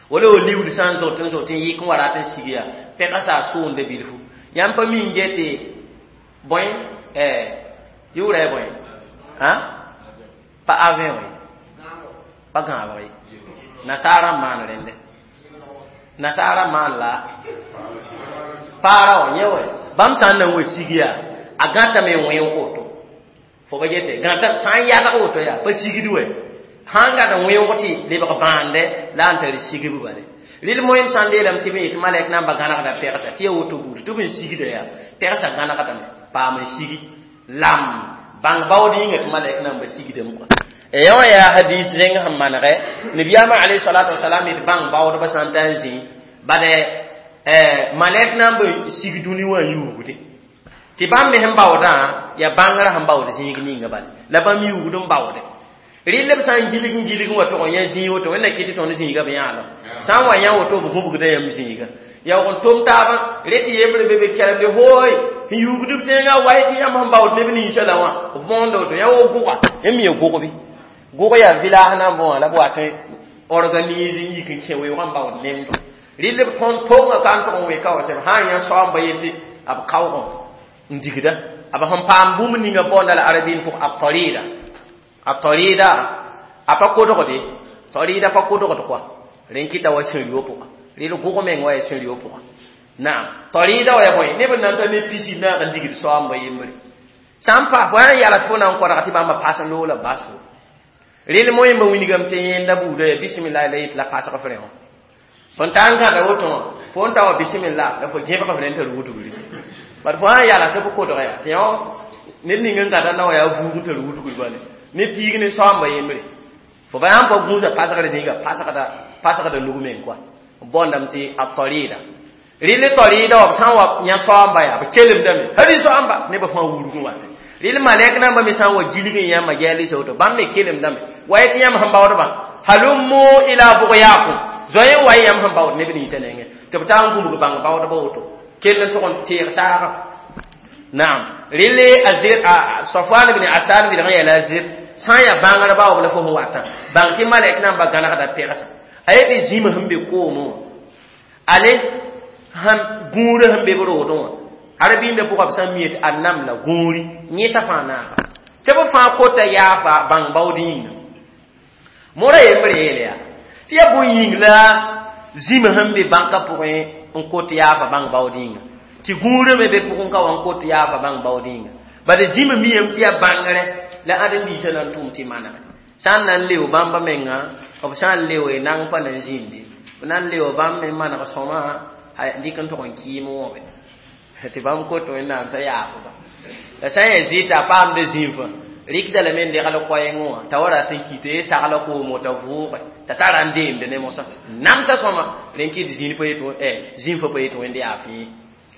wala wa liuud sã n zot n zot n yɩk n wa rat n sig yaa pɛgsa a soonda bilfu yãmb pa mi n get tɩ bõe yʋʋra ya bõe pa avion ye pa gãabg ye nasaara n maan rẽnde nasaara maan la paara wã yẽ wɛ bãmb sã n na n wa sig yaa a gãtame n wẽog woto fo pa gete gãta sã n yadg woto yaa pa sigd wɛ sã n gãd n wẽog tɩ lebg bãande la n tar sigb bale rɩl moem sã n leelame tɩ b yetɩ malɛk namba gãnegda pɛgsa tɩ yaa woto buudi tɩ b n sigda yaa pɛgsa gãnegdame paam n sigi lam bãng baood yĩnga tɩ malɛk namba sigdame kɔa yã wã yaa hadis rẽng sẽn manegɛ nabiyaamã alayhi salatu wasalam yetɩ bãng baoodbã sã n ta n zĩ bad malɛk namba sig dũni wã n yuugde tɩ bãmb me sẽn baoodã yaa bãngrã sẽn baood zĩig ninga bale la bãmb yuugd n baoode rɩl b sã n gilg n gilg n wa tʋg n yã zĩig woto wẽnna kɩ tɩ tõnd zĩiga b yãalem sã n wa yã woto b gũbgda yãmb zĩiga yaoog n tom taabã re tɩ yembre be be kɛlemde hooy sẽn yuugd b tẽngã wa tɩ yãmb sẽn baood neb ninsã la wã b bõonda woto yã wo gʋga yãmb ya gʋgbe gʋg yaa village na n bõa la b wat n organise n yik n kẽ weoogã n baood nemdo Rɩl b tõnd tonga ka n tʋg n weka wa sẽm sã n yã soaamba yetɩ b kaoogẽ n digda b sẽn paam bũmb ninga baoonda la arabiin pʋgẽ a tarida a tarida a pa kodgde tarida pa kodgd kɔa rẽn kɩta wa sẽn-rio pʋga rɩl gʋg meng wa ya sẽn-rio pʋga naam tarida wa ya bõe neb n na n ta ne pisi naag n digd soaamba yembre sã n pa fo n yala tɩ fo na n kodga tɩ bãmba pas n loog la bas fo rɩl moẽmba wilgame tɩ yẽnda buudã ya bisimilla la yet la pasg f rẽ wã fõn ta n gãda woto wã fo n ta wa bisimilla la fo gẽbg f rẽ n tar wudgri bad fo sã n yala tɩ b kodga yaa tɩ yõ ned ning n gãda na wa yaa buug n tar wudgri bale ne piig ne soaamba yembre fo ba yãmb pa gũusa pasgr zĩiga pasgda pasgda nug meng kɔa b boondame tɩ a tarida rɩl tarida wa b sã n wa yã soaamba yaa b kelemdame hal soaamba nebã fãa wurgẽ wate rɩl malɛk nambã me sã n wa gilg n yãmba gɛɛl woto bãmb me kelemdame wa yetɩ yãmb sẽn baoodbã halummu ila bugyakum zoe n wa y yãmb sẽn baood neb ninsã nengẽ tɩ b taa n gũbg bãng baoodba woto kell n tʋg n teeg saaga naam rɩl a zir Safwan ibn Asal bilg n yɛla a zir sã n yaa bãngr baoob la fo sẽn watã bãng tɩ malɛk namba gãnegda pegsa a yetɩ zĩm sẽn be koomẽ wã ale sẽn gũurã sẽn be b roodẽ wã arabiindã pʋga b sã n mi yetɩ a namla gũuri yẽsa fãa naaga tɩ b fãa kota yaafa bãng baood yĩnga mora yembre yeele yaa tɩ yaa bõe yĩng la zĩm sẽn be bãnkã pʋgẽ n kot yaafa bãng baood yĩnga tɩ gũurã me be pʋgẽ ka wa n kot yaafa bãng baood yĩnga bala zĩm miyame tɩ yaa bãngrɛ la ãdem-biisã na n tʋm tɩ manege sã n na n leo bãmba menga b sã n leo nang pa na n zĩndi b na n leo bãmb me maneg sõma dɩk n tʋg n kɩɩm wõbe tɩ bãmb kot wẽnnaam t'a yaafba la sã n yaa zɩɩta a paamda zĩnfã rɩkda lame n degl koɛɛngẽ wã t'a wa rat n kɩ tɩ sagla koom t'a vʋʋge t'a tara n deemde ne mosã namsa sõma rẽn kɩt zĩn pa yet zĩnfã pa yet wẽnd yaa fẽe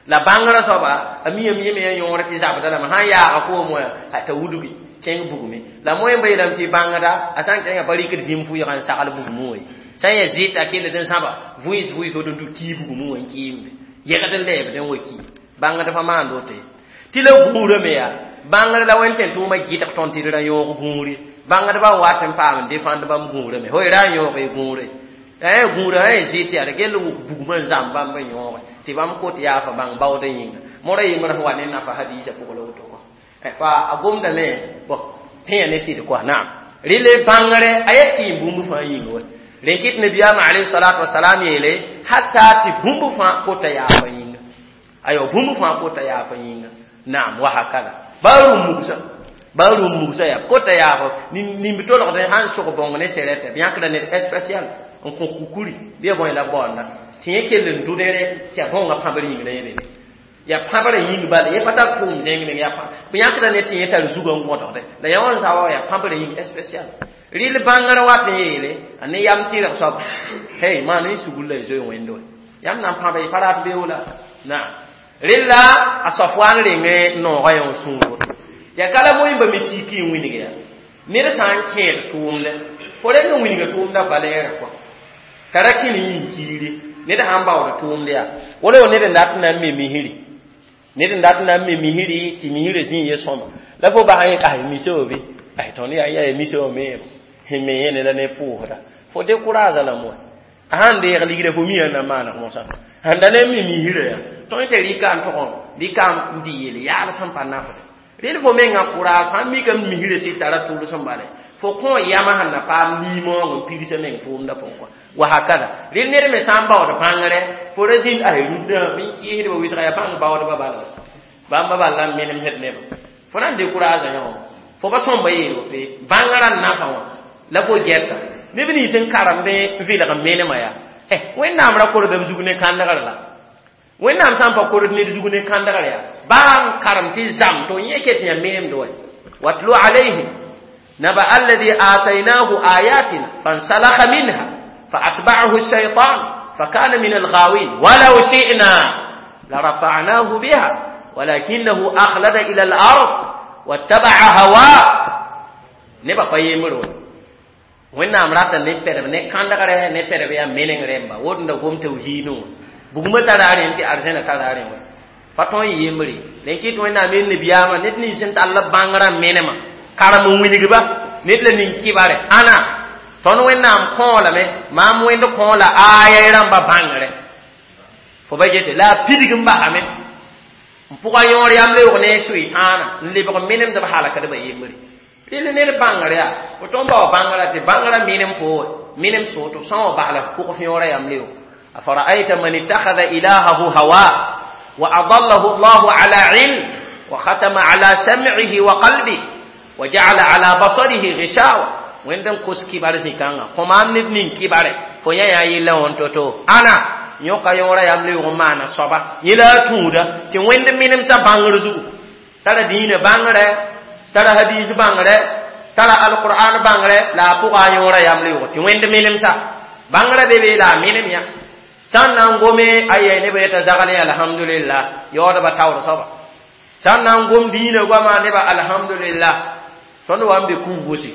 la bãngrã soaba a miyame yẽ me yaa yõor tɩ zabda lame sã n yaaga koom wã t'a wudgi kẽng bugme la moẽmba yeelame tɩ bãngda a sã n kẽngã pa rɩkd zĩm fʋɩga n sagl bugmẽ wã ye sã n yaa zɩɩta kelld n sãba vʋɩs vʋɩs woto n tʋ kii bugmẽ wã n kɩɩmde yegd n lɛɛbd n wa ki bãngd pa maand woto ye tɩ la gũurã me yaa bãngd la wẽnd tẽn tʋʋmã gɩdg tõnd tɩ d ra yõog gũuri bãngdbã n wat n paam n defãnd bãmb gũurã me fo ra n yõog y gũure la gũurã sã n zɩ tɩ yaa d gell wʋk bugmã n zãmb bãmb n yõoge tɩ bãmb kot yaafa bãng baoodã yĩnga mora yembrã sẽn wa ne nafa hadiisã pʋgã la woto kɔ fa a gomdame bõ tẽa ne sɩd kɔa naam rɩl bãngre a yaa tɩɩm bũmb fãa yĩnga wa rẽn kɩt nabiyaamã alayhi salatu wasalam yeele hatta tɩ bũmb fãa kota yaafa yĩnga ayo bũmb fãa kota yaafa yĩnga naam wa hakada baa rũm mugsa baa rũm mugsa yaa kota yaafa nimb tolgd sãn sog bõng ne sɛrɛtɛ b yãkda ned spécial n kõ kukuri bɩ ya bõe la baoonda tɩ yẽ kell n dʋdre tɩ yaa bõngã pãbr yĩng la yẽ be yaa pãbrã yĩng bala yẽ pa tar tʋʋm zẽng meng yaa b yãkda ne tɩ yẽ tar zugã n gõdgde la yã wã n zawa yaa pãbrã yĩng spécial rɩl bãngrã wat n yeele a ne yam tɩrg soab hey maan n sugr la y zoe wẽnd wa yãmb na n pãba y pa rat beoola naam rɩlla a Safwan reng noogã yã sũur woto yaa ka la moẽmba me tiki n wilg yaa ned sã n kẽed tʋʋmdɛ fo reng n wilga tʋʋmdã valɛɛrã kɔa t'a ra kẽ ne yĩn kiire ned sãn baood tʋʋmd yaa wala wa ned n dat n na n me misri ned n dat n na n me misri tɩ misrã zĩig ye sõma la fo bas n ay misa wa be ay tõnd yaa yaa misa wã me n me yẽne la ne pʋʋsda fo décourage la moa a sãn deeg ligda fo mia na maaneg mosã sãn da ne me misrã yaa tõe tɩ rɩka n tʋg rɩka n dɩ yeel yaal sẽn pa nafde rẽnd fo mengã courage sãn mikame misrã sɩd tara tʋls n bale fo kõ yamã sẽn na paam liimoong n pigsã meng tʋʋmdã pʋgẽ kɔa wa hakada rẽnd ned me sã n baood bãngre fo ra zĩnd ay rũndã bɩ n kɩɩsdbã wɩsga yaa bãng baoodbã bala bãmba bal la n menemsd nebã fo na n décourage yã wã fo pa sõmba yeel woto ye bãngrã n nafa wã la fo gɛta neb nins n karemd n vɩlg n menemã yaa eh wẽnnaam ra korda b zug ne kãndgr la wẽnnaam sã n pa kord ned zug ne kãndgr yaa baa n karem tɩ zam tɩ yẽ ket yã menemd wa watlu alayhim naba alladhi atainahu ayatina fansalakha minha فأتبعه الشيطان فكان من الغاوين ولو شئنا لرفعناه بها ولكنه أخلد إلى الأرض واتبع هواه نبا فيمرون wẽnnaam rata ne pɛdb ne kãndgre ne pɛdb yaa meneng rẽmba wotda gom tawhiidẽ wã bugmã tara rẽn tɩ arzẽna tara rẽ wa pa tõe n yembre rẽn kɩt wẽnnaam yel nabiyaamã ned nins sẽn tall bãngrã menemã karem n wilgba ned la ning kɩbare ãna tõnd wẽnnaam kõolame maam wẽnd kõola aaya rãmba bãngre Fo ba gete la pidig n basame n pʋga yõor yam leoog ne sʋɩtãana n lebg menemd b halkdbã yembre. Rel ned bãngr yaa fo tõnd ba wa bãngrã tɩ bãngrã menem fo menem so tɩ f sã n wa bas la f pʋg yõora yam leoog. Afara'ayta man ittakhadha ilahahu hawa wa adallahu Allahu ala ilm wa khatama ala sam'ihi wa qalbihi wa ja'ala ala basarihi ghishawa. Wẽnd n kos kibar zĩ-kãngã kõ maam ned ning kibare fo yã yaa yella wã to-to ãna yõka yõora yam leoog n maana soaba yẽ la a tũuda tɩ wẽnd menemsã bãngr zugu tara dĩinã bãngrɛ tara hadis bãngrɛ tara alqur'an bãngrɛ la a pʋga a yõora yam leoog tɩ wẽnd menemsa bãngrã be be la a menem yã sã n na n gome aya neb yeta zagl alhamdulillah yaoodba taoor soaba sã n na n gom dĩinã goama neba alhamdulillah tõnd wa n be kũum gosi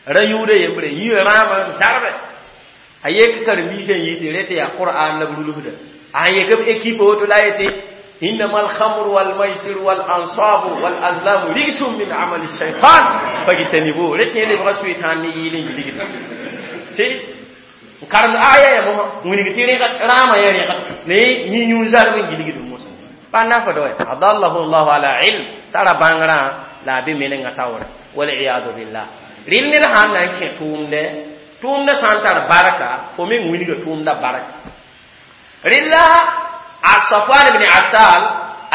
ra yũuda yembre yĩa rãamã n zarbe a yek karen-biisã n yi tɩ rẽ tɩ yaa qur'an la b rulsda a n yek b équipe woto la yetɩ إنما الخمر والميسر والأنصاب والأزلام رجس من عمل الشيطان فاجتنبوه رتي اللي بغا شيطان يلين يلين تي كارم آية يا مو وني تي راما يا ريغ ني يي زار من جليغ موسى بانا فدوي أضله الله على علم ترى بانغرا لا بي منغا تاور والعياذ بالله ريل ني هان نان كي تومده تومده سانتار بركة فمن وني تومده بركة ريلا صفوان بن عسال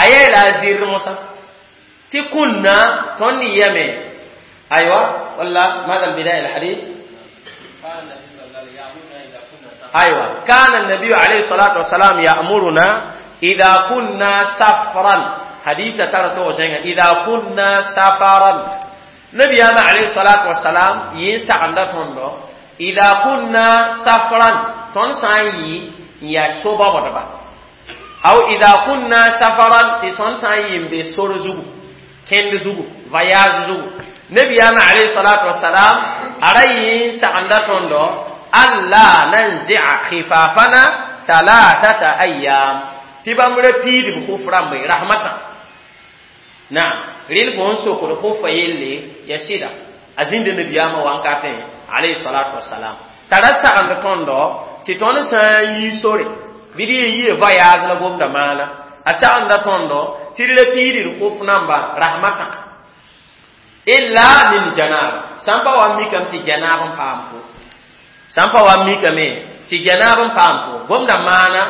أيه لا زير موسى تكنا توني يمي أيوة ولا ماذا البداية الحديث؟ أيوة كان النبي عليه الصلاة والسلام يأمرنا إذا كنا سفرا حديث ترى إذا كنا سفرا نبي عليه الصلاة والسلام ينسى عند تندو إذا كنا سفرا تنسى يا سوبا ودبا أو إذا كنا سفرا تسون سايم بسور زوجو كند زوجو voyage زوجو نبي عليه الصلاة والسلام أرأي سعند تندو ألا ننزع خفافنا ثلاثة أيام تبامر بيد بخوف رمي رحمة نعم ريل فون سوكر خوف يلي يسيدا أزين النبي وانكاتين عليه الصلاة والسلام ترى سعند تندو تتون ساي سوري bɩ yɩ voyage la gomda maana a sagenda tõndo tɩ d la piidr khuf namba rahmata illa min janaba sã n pa wa mikame tɩ janaab n paam fo sã n pa wa mikame tɩ janaab n paam fo gomda maana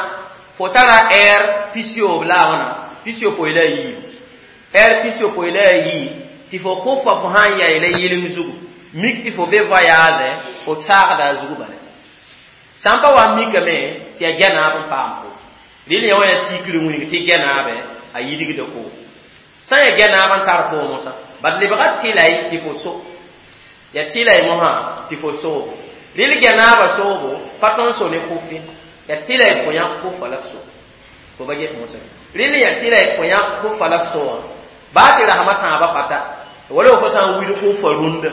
fo tara ɛɛr pis-yoob la a wãna pis-yopoe la a yiib ɛɛr pis-yopoe la a yiib tɩ fo khufa fo sã n yaɩ la yɩlem zugu mik tɩ fo be voyage fo saagda a zugu bala sã n pa wa mikame tɩ yaa janaab n paam fo rɩl yã wã yaa tikr wĩng tɩ janaabɛ a yidgda ko sã n yaa janaab n tar fo mosã bad lebga tɩlay tɩ fo so yaa tɩlay mosã tɩ fo soobo rɩl janaabã soobo pa tõnd so ne kʋf ye yaa tɩlay fo yãk kʋfa la f so fo ba get mosã rɩl yaa tɩlay fo yãk kʋfa la f so wã baa tɩ rasmã tãabã pata wala fo sã n wilg kʋfa rũndã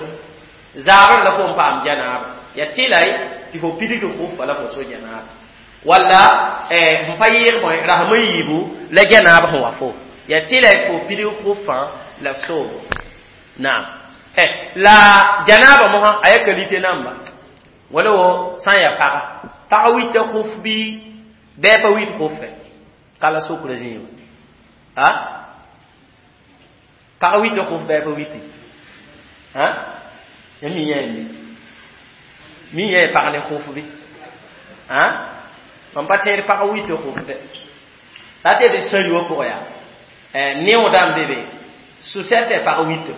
zaabr la fo n paam janaaba yaa tɩlay tɩ fo pidigd kʋfa la fo so janaaba walla n pa yɩɩg bõe rasm n yiibu la janaab sẽn wa fo yaa tɩla fo pidig kʋfã la f soobo naam la janaaba mosã a yaa qualité namba wala wo sã n yaa paga pag wita kʋf bɩ bɛɛ pa wit kʋfɛ ka la sokra zĩig a pag wita kʋf bɛɛ pa witi a mi yã mi mi yã pag ne kʋf bɩ a mam pa tẽed pag wita kʋf dɛ la tɩ d sã wã pʋgã yaa neoodã n be be sʋsɛtɛ pag wita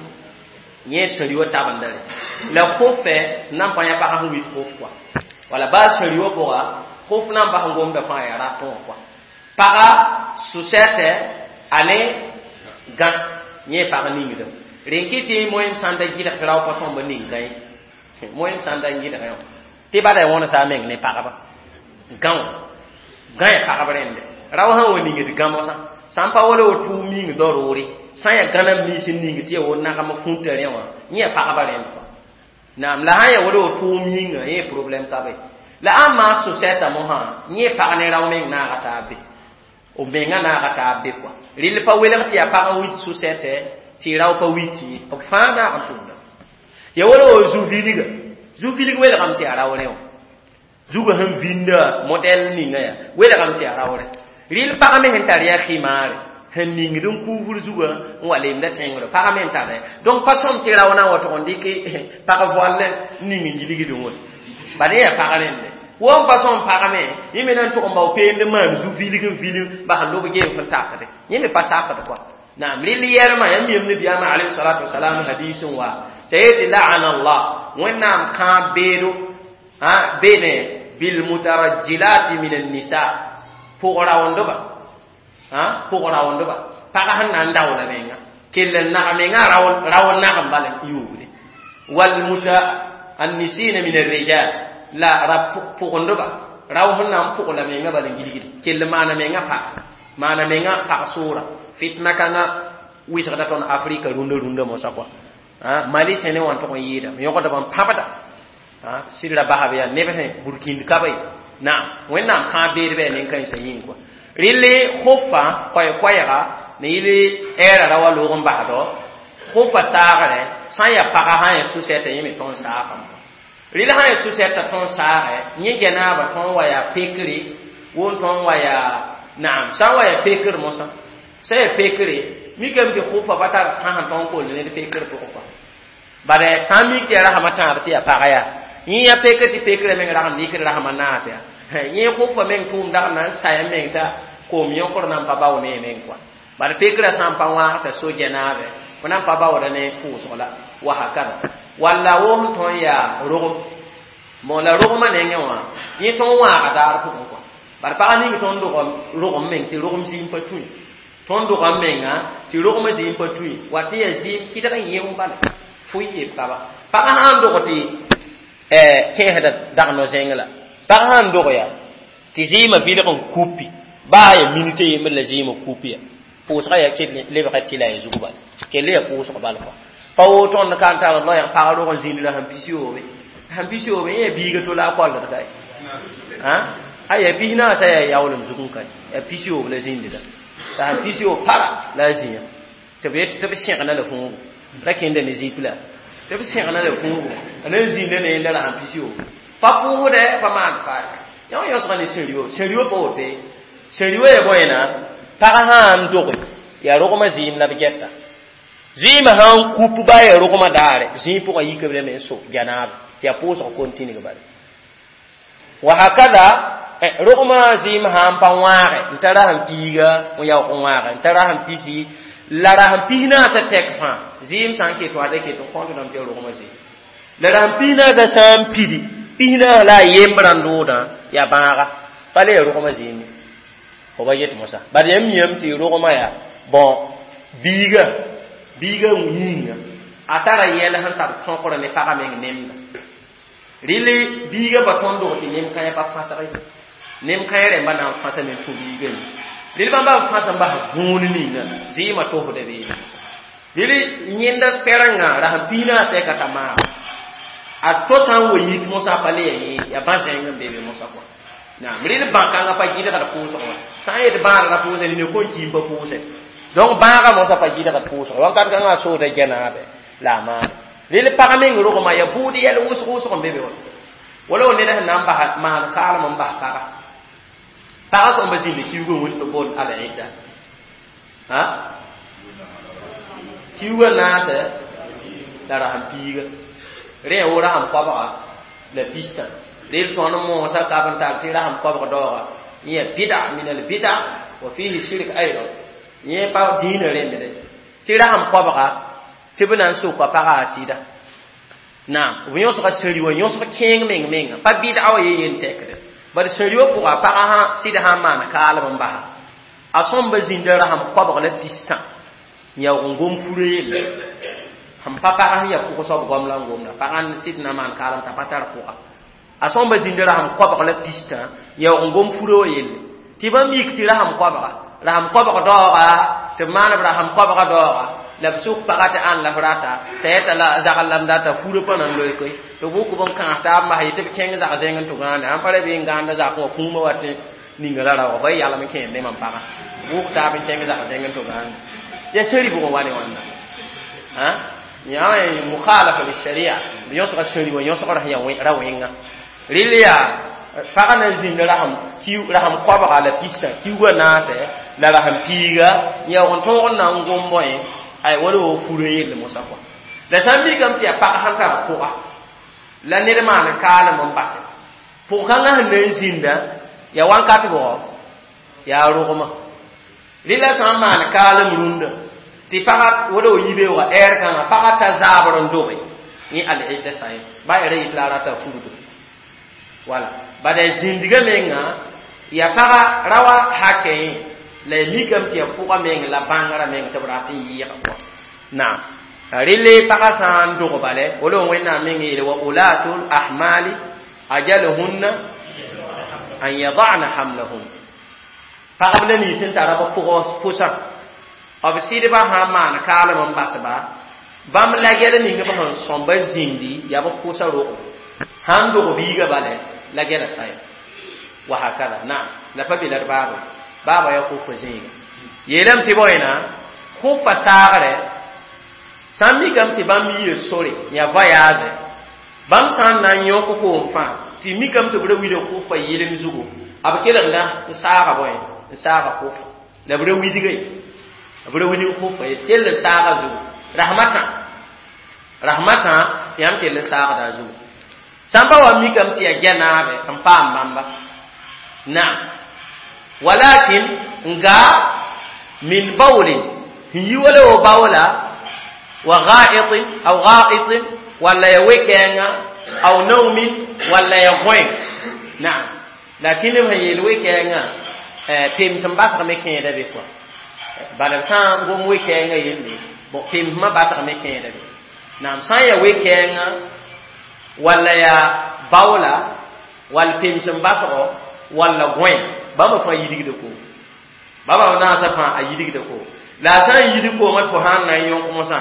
yẽ sãri wã tabendare la kʋfɛ nan pa yã pag sẽn wit kʋf kɔa wala baa sãri wã pʋga kʋf nan bas n gomda fãa yaa ratẽ wã kɔa paga sʋsɛtɛ a ne gã yẽ pag ningdã rẽn kɩ tɩ moẽm sã n da gɩdg tɩ rao pa sõmb ning gã ye moẽm sã n da gɩdgẽ wã tɩ bada wõnsa a meng ne pagba gã wã gã yaa pagb rẽnde rao sã n wa ningd gã mosã sã n pa wala wa tʋʋm ming daroore sã n yaa gãnam nins n ning tɩ yaa wo nagem fũta rẽ wã yẽ yaa pagba rẽnd kɔa naam la sã n yaa wala wa tʋʋm yĩnga yẽ problème ka be la ãn maan sʋsɛta mosã yẽ pag ne rao meng naaga taab be b menga naaga taab be kɔa rɩl pa welg tɩ yaa pag n wit sʋsɛtɛ tɩ rao pa wit ye b fãa naag n tʋmda ya wala wa zu-vilga zu-vilg welgame tɩ yaa rao rẽ wã Zugã sẽn vinda modɛl ninga yaa welgame tɩ yaa raoore rɩl pag me sẽn tar yaa khimaare sẽn ningd n kuufr zugã n wa lemda tẽngre pag me n tara donc pa sõm tɩ rao na n wa tʋg n dɩk pag voal n ning n gilgdẽ wã bad yaa pag rẽnde wo n pa sõm pag me yẽ me na n tʋg n bao peend n maan zu vilg n vil bas n lob geem fẽn takde yẽ me pa sakd kɔa naam rɩl yɛrmã yãmb yem nabiyaamã alayhi salatu wasalam hadis n wa t'a yetɩ la'ana allah wẽnnaam kãab beedo bene bilmutarajjilati min annisa pʋg-raoondba pʋg-raoondba pag sẽn na n daoola menga kell n nag menga raood nag n bala yuugde walmutaannisina min arrijal la ra pʋgendba rao sẽn na n pʋgla menga bala n gilgde kell maana menga pag maana menga pag soora fitna kãngã wɩsgda tõnd afrika rũndã rũndã mosã kɔa mali sẽne wã n tʋg n yɩɩdame yõgdb n pãbda sɩd ra basb yaa neb sẽn burkĩnd ka ba ye naam wẽnnaam kãab beed bɩ yaa nen-kãensã yĩng kɔa rɩle khʋfa koɛɛ-koɛɛga ne yɩl ɛɛra ra wa loog n basdɔ khʋfa saagre sã n yaa paga sã n yaa su-sɛta yẽ me tõnd saagame rɩl sã n yaa su-sɛta tõnd saagɛ yẽ gɛnaaba tõnd wa yaa pekre won tõnd wa yaa naam sã n wa yaa pekr mosã sã yaa pekre mikame tɩ khʋfa pa tar tãs n tõnd koll ned pekr pʋgẽ kɔa bad sã n mik tɩ yaa rasmã tãab tɩ yaa paga yaa yẽ yaa pekr tɩ pekrã meng rag n dɩkd rasmã naas yaa yẽ khʋfa meng tʋʋm dag n na n saya meng t'a koom yõkr na n pa bao ne meng kɔa bad pekrã sã n pa wãag t'a so gɛnaabe fo na n pa baooda ne pʋʋsg la wa hakada walla wo sẽn tõnd yaa rogem bon la rogmã nengẽ wã yẽ tõnd wãaga daar pʋgẽ kɔa bad pag ning tõnd dog rogem meng tɩ rogem zĩim pa tũi tõnd dogam menga tɩ rogmã zĩim pa tũi wa tɩ yaa zĩim kɩdg n yẽ bala fʋɩ yeb kaba pag sã n dog tɩ kẽesda dag no-zẽng la pag sã n dog yaa tɩ zɩɩmã vilg n kupi baa ya minute yembr la zɩɩmã kupi ya pʋʋsga yaa kell lebga tɩ la ya zug bala kell yaa pʋʋsg bal kɔa pa woto tõnd ka n tar loɛɛg pag rog n zĩnd la sẽn pis yoobe sẽn pis yoobe yẽ yaa biiga to la a koaldg ka a yaa pis naasã yaa yaoolem zug n ka yaa pis yoob la zĩndda la sẽn pis yoob para la a zĩya tɩ b yet tɩ b sẽgna la fũugo ra kẽnda ne zip la tɩ b sẽgna la fũugo a na n zĩnda ne yẽnda la sẽn pis yoob pa pʋʋsdɛ pa maan faar yã wã yõsga ne sẽn-rɩo sẽn-rɩo pa wote sẽn-rɩo yaa bõe pag sã n doge yaa rogmã zɩɩm la b gɛta zɩɩmã sã n kup baa yaa rogmã daare zĩig pʋgã yika b lame n so gɛnaabe tɩ yaa pʋʋsg conting bala wa hakada rogmã zɩɩm sã n pa wãage n ta rasẽn piiga n yaoog n wãage n ta rasẽn pisi la rasẽn pis naasã tɛk fãa zɩɩm sã n ket wã da ket n kõntdame tɩ yaa rogmã zɩɩm la rasẽn pis naasã sã n pidi pis naas la a yembrã n doodã yaa bãaga pa le yaa rogmã zɩɩm ye fo ba yet mosã bad yãmb miyame tɩ rogmã yaa bõn biiga biiga yĩnga a tara yɛl sẽn tar tõkr ne pagã meng nemda rɩle biiga pa tõnd dog tɩ nem kãyã pa fãsg ye nem kãyã rẽmba na n fãsame n tũ biiga yĩ rɩl bãmba b fãs n bas vũun ninga zɩɩmã tosda beene rɩl yẽnda pɛrengã rasẽn pis naas tɛka t'a maag a to sã n wa yit mosã pa le ya yẽ yaa bã-zẽng n be be mosã kɔa naam rɩl bãkãngã pa gɩdgd pʋʋsg wã sã n yet bãadra pʋʋsẽ nina kõn kiim pa pʋʋsẽ donc bãagã mosã pa gɩdgd pʋʋsg wakat kãngã a sooda gɛnaabe la a maane rɩl pag meng rogmã yaa bʋʋd yɛl wʋsg wʋsg n be be wã wala wa ned sẽn na n bas maan kaalem n bas paga paga sõmba zĩnda kiuugã wĩnd tɩ boond al-idda ha kiuugã naasɛ la rasẽn piiga rẽ wo rasem koabga la pistã rel tõnd moosã kab n tar tɩ rasem koabg daooga yẽ yaa bida min al bida wa fihi shirk aydan yẽ pa dĩinã rẽndre tɩ rasem koabga tɩ b na n soka pagã a sɩda naam b yõsga sẽri wã yõsg kẽeng meng menga pa bɩdga wa ye yen tɛkde bad sẽri wã pʋga pagã sã sɩd sã n maan kaalem n basa a sõmba zĩnda rasem koabg la pistã n yaoog n gom furã yelle sẽn pa pagã sẽn yaa pʋg soab goam la n gomda pagã sɩd na maan kaalem t'a pa tar pʋga a sõmba zĩnda rasem koabg la pistã yaoog n gom furã wã yelle tɩ bãmb yik tɩ rasem koabga rasem koabg daooga tɩ b maan b rasem koabga daooga la b sʋk pagã tɩ ãn la f rata t'a yeta la zagl lam data furã pa nan loe koe tɩ b wʋk b n kãas taab n bas yetɩ b kẽng zag zẽng n tʋ gãande sãn pa ra bɩ n gãanda zakẽ wã kũumã wat ninga la raoog fa yalem n kẽed ne mam pagã wʋk taab n kẽng zag zẽng n tʋ gãande yaa sẽri bʋgẽ wa ne wãnna yaa mukhalafa lisharia b yõsga sẽri wã yõsgr sẽn yaa ra wẽnga rɩl yaa Pagã na n zĩnd rasem rasem koabga la pistã kiuugã naase la rasem piiga yaoog n tõog n na n gom bõe ay wala wo furã yelle mosã kɔa la sã n mikame tɩ yaa pag sẽn tar pʋga la ned maan kaalem n base pʋg-kãngã sẽn na n zĩnda yaa wãnkat bʋgɔ yaa rogmã rɩla sã n maan kaalem rũndã tɩ pagã wala wo yibeoogã ɛɛr kãngã pagã ta zaabr n doge yẽ al-idda sã ye ba ya ra yit la a rata fugdo wala bada zĩndgã menga yaa pagã ra wa hakɛ yẽ la ya mikame tɩ yaa pʋgã meng la bãngrã meng tɩ b rat n yɩɩga kɔa naam rɩle pagã sã n dog bale wala wẽnnaam meng yeele wa ulatul ahmali ajaluhunna an yadana hamlahum pagb la nins sẽn tara b pʋgã pʋsã b sɩdbã sã n maan kaalem n basba bãmb la gɛl ning b sẽn sõmba zĩndi yaa b pʋsa rogo sãn dog biigã bale la gɛla saya wa hakada naam la pa be la d baaba baaba yaa kʋfa zĩiga yeelame tɩ bõena kʋfa saagre sã n mikame tɩ bãmb yia sore yaa voyage bãmb sã n na n yõk koom fãa tɩ mikame tɩ b ra wilg kʋfa yɩlem zugu b kelgda n saaga bõe n saaga kʋfa la b ra widga ye b ra wilg kʋfa ye kell n saaga zugu rahmatã rahmatã tɩ yãmb kell n saagda a zugu sã n pa wa mikame tɩ yaa gɛ naabe n paam bãmba naam walakin n gaa min bawlin n yi wala wo bawla wa ga'itin aw ga'itin walla ya we-kɛɛngã aw naumin walla ya gõe naam lakin b sẽn yeel we-kɛɛngã pems n basgame kẽeda be kɔa bala b sã n gom we-kɛɛngã yelle bon pemsmã basgame kẽeda be naam sã n ya we-kɛɛngã walla ya baoola wall pems n basgo walla gõe bãmba fãa yidgda koom bãmba naasã fãa a yidgda koom la a sã n yidg koomã tɩ fo sã n na n yõk mosã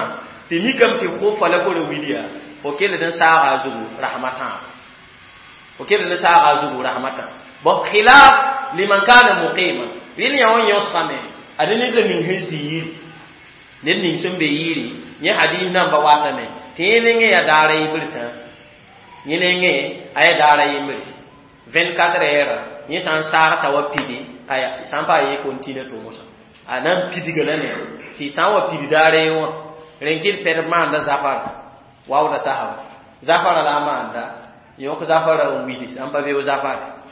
tɩ mikame tɩ kʋfa la fo ra wilya fo kell n saaga a zugu rahmatã fo kell n saaga a zugu rahmatã bon khilaf liman kana muqima rɩl yã wã yõsgame ad ned la ning sẽn zĩ yiri ned ning sẽn be yiri yẽ hadis namba watame tɩ yẽ nengẽ yaa daara yembr tã yẽ nengẽ a yaa daara yembre vingt-quatre heures yẽ sã n saag t'a wa pidi aya sã n pa a ye continue tʋ mosã a na n pidga la ne tɩ sã n wa pid daara ye wã rẽn kɩ d pɛd maanda zafara waooda sasa zafara la a maanda yõk zafara n willi sã n pa beo zafara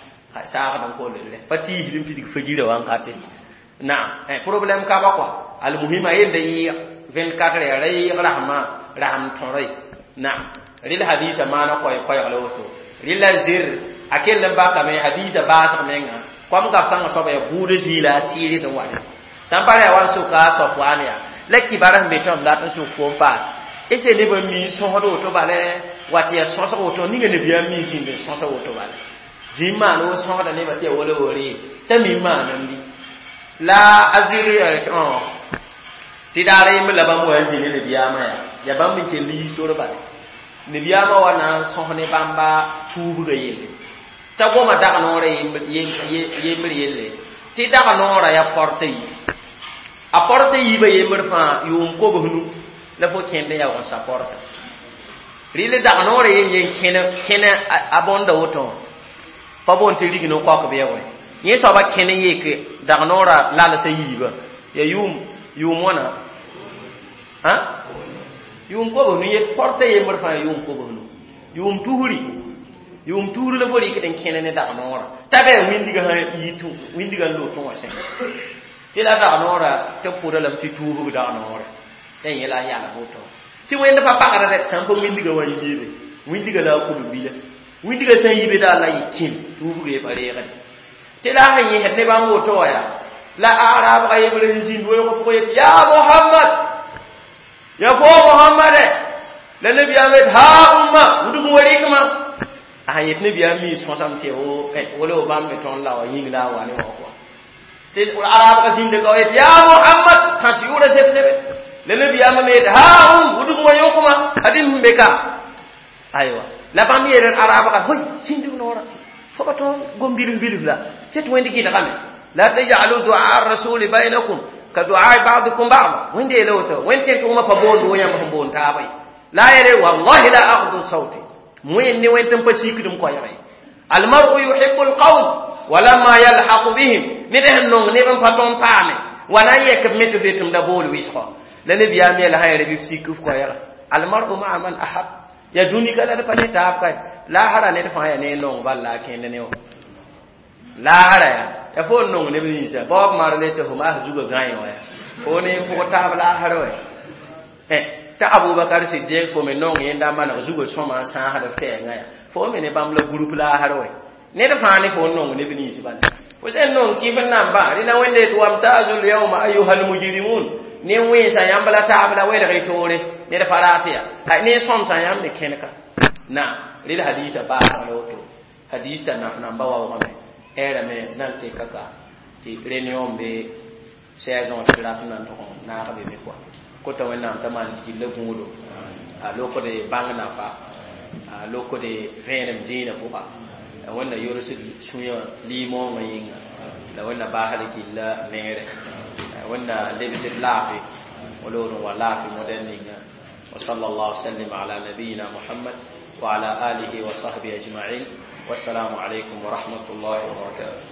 saagd n koll rẽ pa tiisd n pidg fajirã wãnkate naam problème ka ba kɔa almuhim a yenda yɩɩg vingt-quatre heures ra yɩɩg rasmã rasm tõra ye naam rɩl hadisa maana koɛɛ koɛɛg la woto rɩla zir a kell n bakame hadisa baasg menga kom gap kãngã soaba yaa buud zĩila a tɩɩr tɩ wa sã n pa ra yaa wa n soka a soap waan yaa la kibar sẽn be tõnd dat n sʋk foom paas ese nebã mi sõsd woto bale wa tɩ yaa sõsg woto ninga nabiyaam mi zĩnd n sõsg woto bale zĩm maan wo sõsda nebã tɩ yaa wala wo ree t'a mi maan n bi la a zir tɩ daara yembr la bãmb wa n zĩ ne nabiyaamã yaa yaa bãmb n kell yi sor bale nabiyaamã wa na n sõs ne bãmba tuubgã yelle t'a goma dag noorã yembr yelle tɩ dag noorã yaa porta yi a porta yiibã yembr fãa yʋʋm kobs nu la fo kẽnd n yaoog n sa porta rɩl dag noorã yen yen kẽne a bõnda woto pa boond tɩ rig no kaok bɩ ya wɛ yẽ soaba kẽn n yek dag noorã lalsã yiibã ya yʋʋm yʋʋm wãna yʋʋm kobs nu yet porta yembr fãa yʋʋm kobs nu yʋʋm tusri yʋʋm tusri la fo rɩkd n kẽne ne dag noorã t'a bɩ wĩndigã sã yi wĩndigã n loog tõ wã sẽn tɩ la dag noorã tɩ b pʋda lame tɩ tuubg dag noorã la yẽ la a yalg woto tɩ wẽnd pa pagda dɛ sã n pa wĩndigã wa yiibe wĩndigã la a kub bila wĩndigã sã n yibe daa la yɩ kĩm tuubg ye pa reegde tɩ la a sẽn yẽsd ne bãmb woto wã yaa la arabga yembr n zĩnd weoog pʋgẽ yet ya Mohamad ya fo Mohamade la nabiyaam yet ha umma wudg n wa rɩkmã a sẽn yet nabiyaam mi sõsame tɩ wala wo bãmb me tõnd la wa yĩng la a wa ne wã kɔa tɩ arabga zĩnda ka yet ya Mohamad tãs yʋʋra seb-sebe la nabiyaamã me yet ha um wudg n wa yõkmã ad-m sẽn be ka aywa la bãmb yeel arabga hoy sĩndg noorã fo pa tõnd gom bilf bilf la tɩ tɩ wẽnd kɩdgame la tajalu du'a rasuli bainakum ka du'a ba'dikum ba'da wẽnd yeela woto wẽnd tẽn tʋgmã pa boond wo yãmb sẽn boond taaba ye la yele wallahi la aghdu sauti wẽnd ne wẽnd tɩ n pa sikdm koɛɛga ye Almaru yuhibu alqawm walamma yalhaqu bihim. Ned sẽn nong neb n pa tõnd paame wa na n yɛk b me tɩ fetem da bool wɩsgɔ la nebiyaam yɛla sã yɛl bɩ b sik f koɛɛga almaru maa man ahab. Ya dũni ka la d pa ne taab kae laasra ned fãa ya ne nong bal la a kẽnd ne wã laasra ya ya fo n nong neb ninsã baob marle tɩ fo maas zugã gãe wã ya fo ne n pʋg taab laasr wɛ t'a Abubakar Siddiq fo me nong yẽnda maneg zugã sõma n sãasd f tɛɛngã ya fo me ne bãmb la groupe laasr wɛ ned fãa ne fo n nong neb nins bala fo sẽn nong kɩf n nambã rẽna wẽnde tɩ wamtazul yawma ayuha almujrimun ne wẽnsa yãmb la taab la welg y toore ned pa rat ya ne sõmsã yãmb me kẽneka na rel hadisa baasg la woto hadis t'a naf namba waoogame ɛɛrame nan tɩka ka tɩ réunion be seize ans tɩ rat n na n tʋg n naag be me kɔa kota wẽnnaam t'a maan gilla gũudo a lokde bãng nafa a lokde vẽenem dĩinã pʋga la wẽnna yorsd sũyã liimoongã yĩnga la wẽnna baasd gilla neere wẽnna lebsd laafɩ wala n wa laafɩ modɛl ninga. وصلى الله وسلم على نبينا محمد وعلى آله وصحبه أجمعين، والسلام عليكم ورحمة الله وبركاته.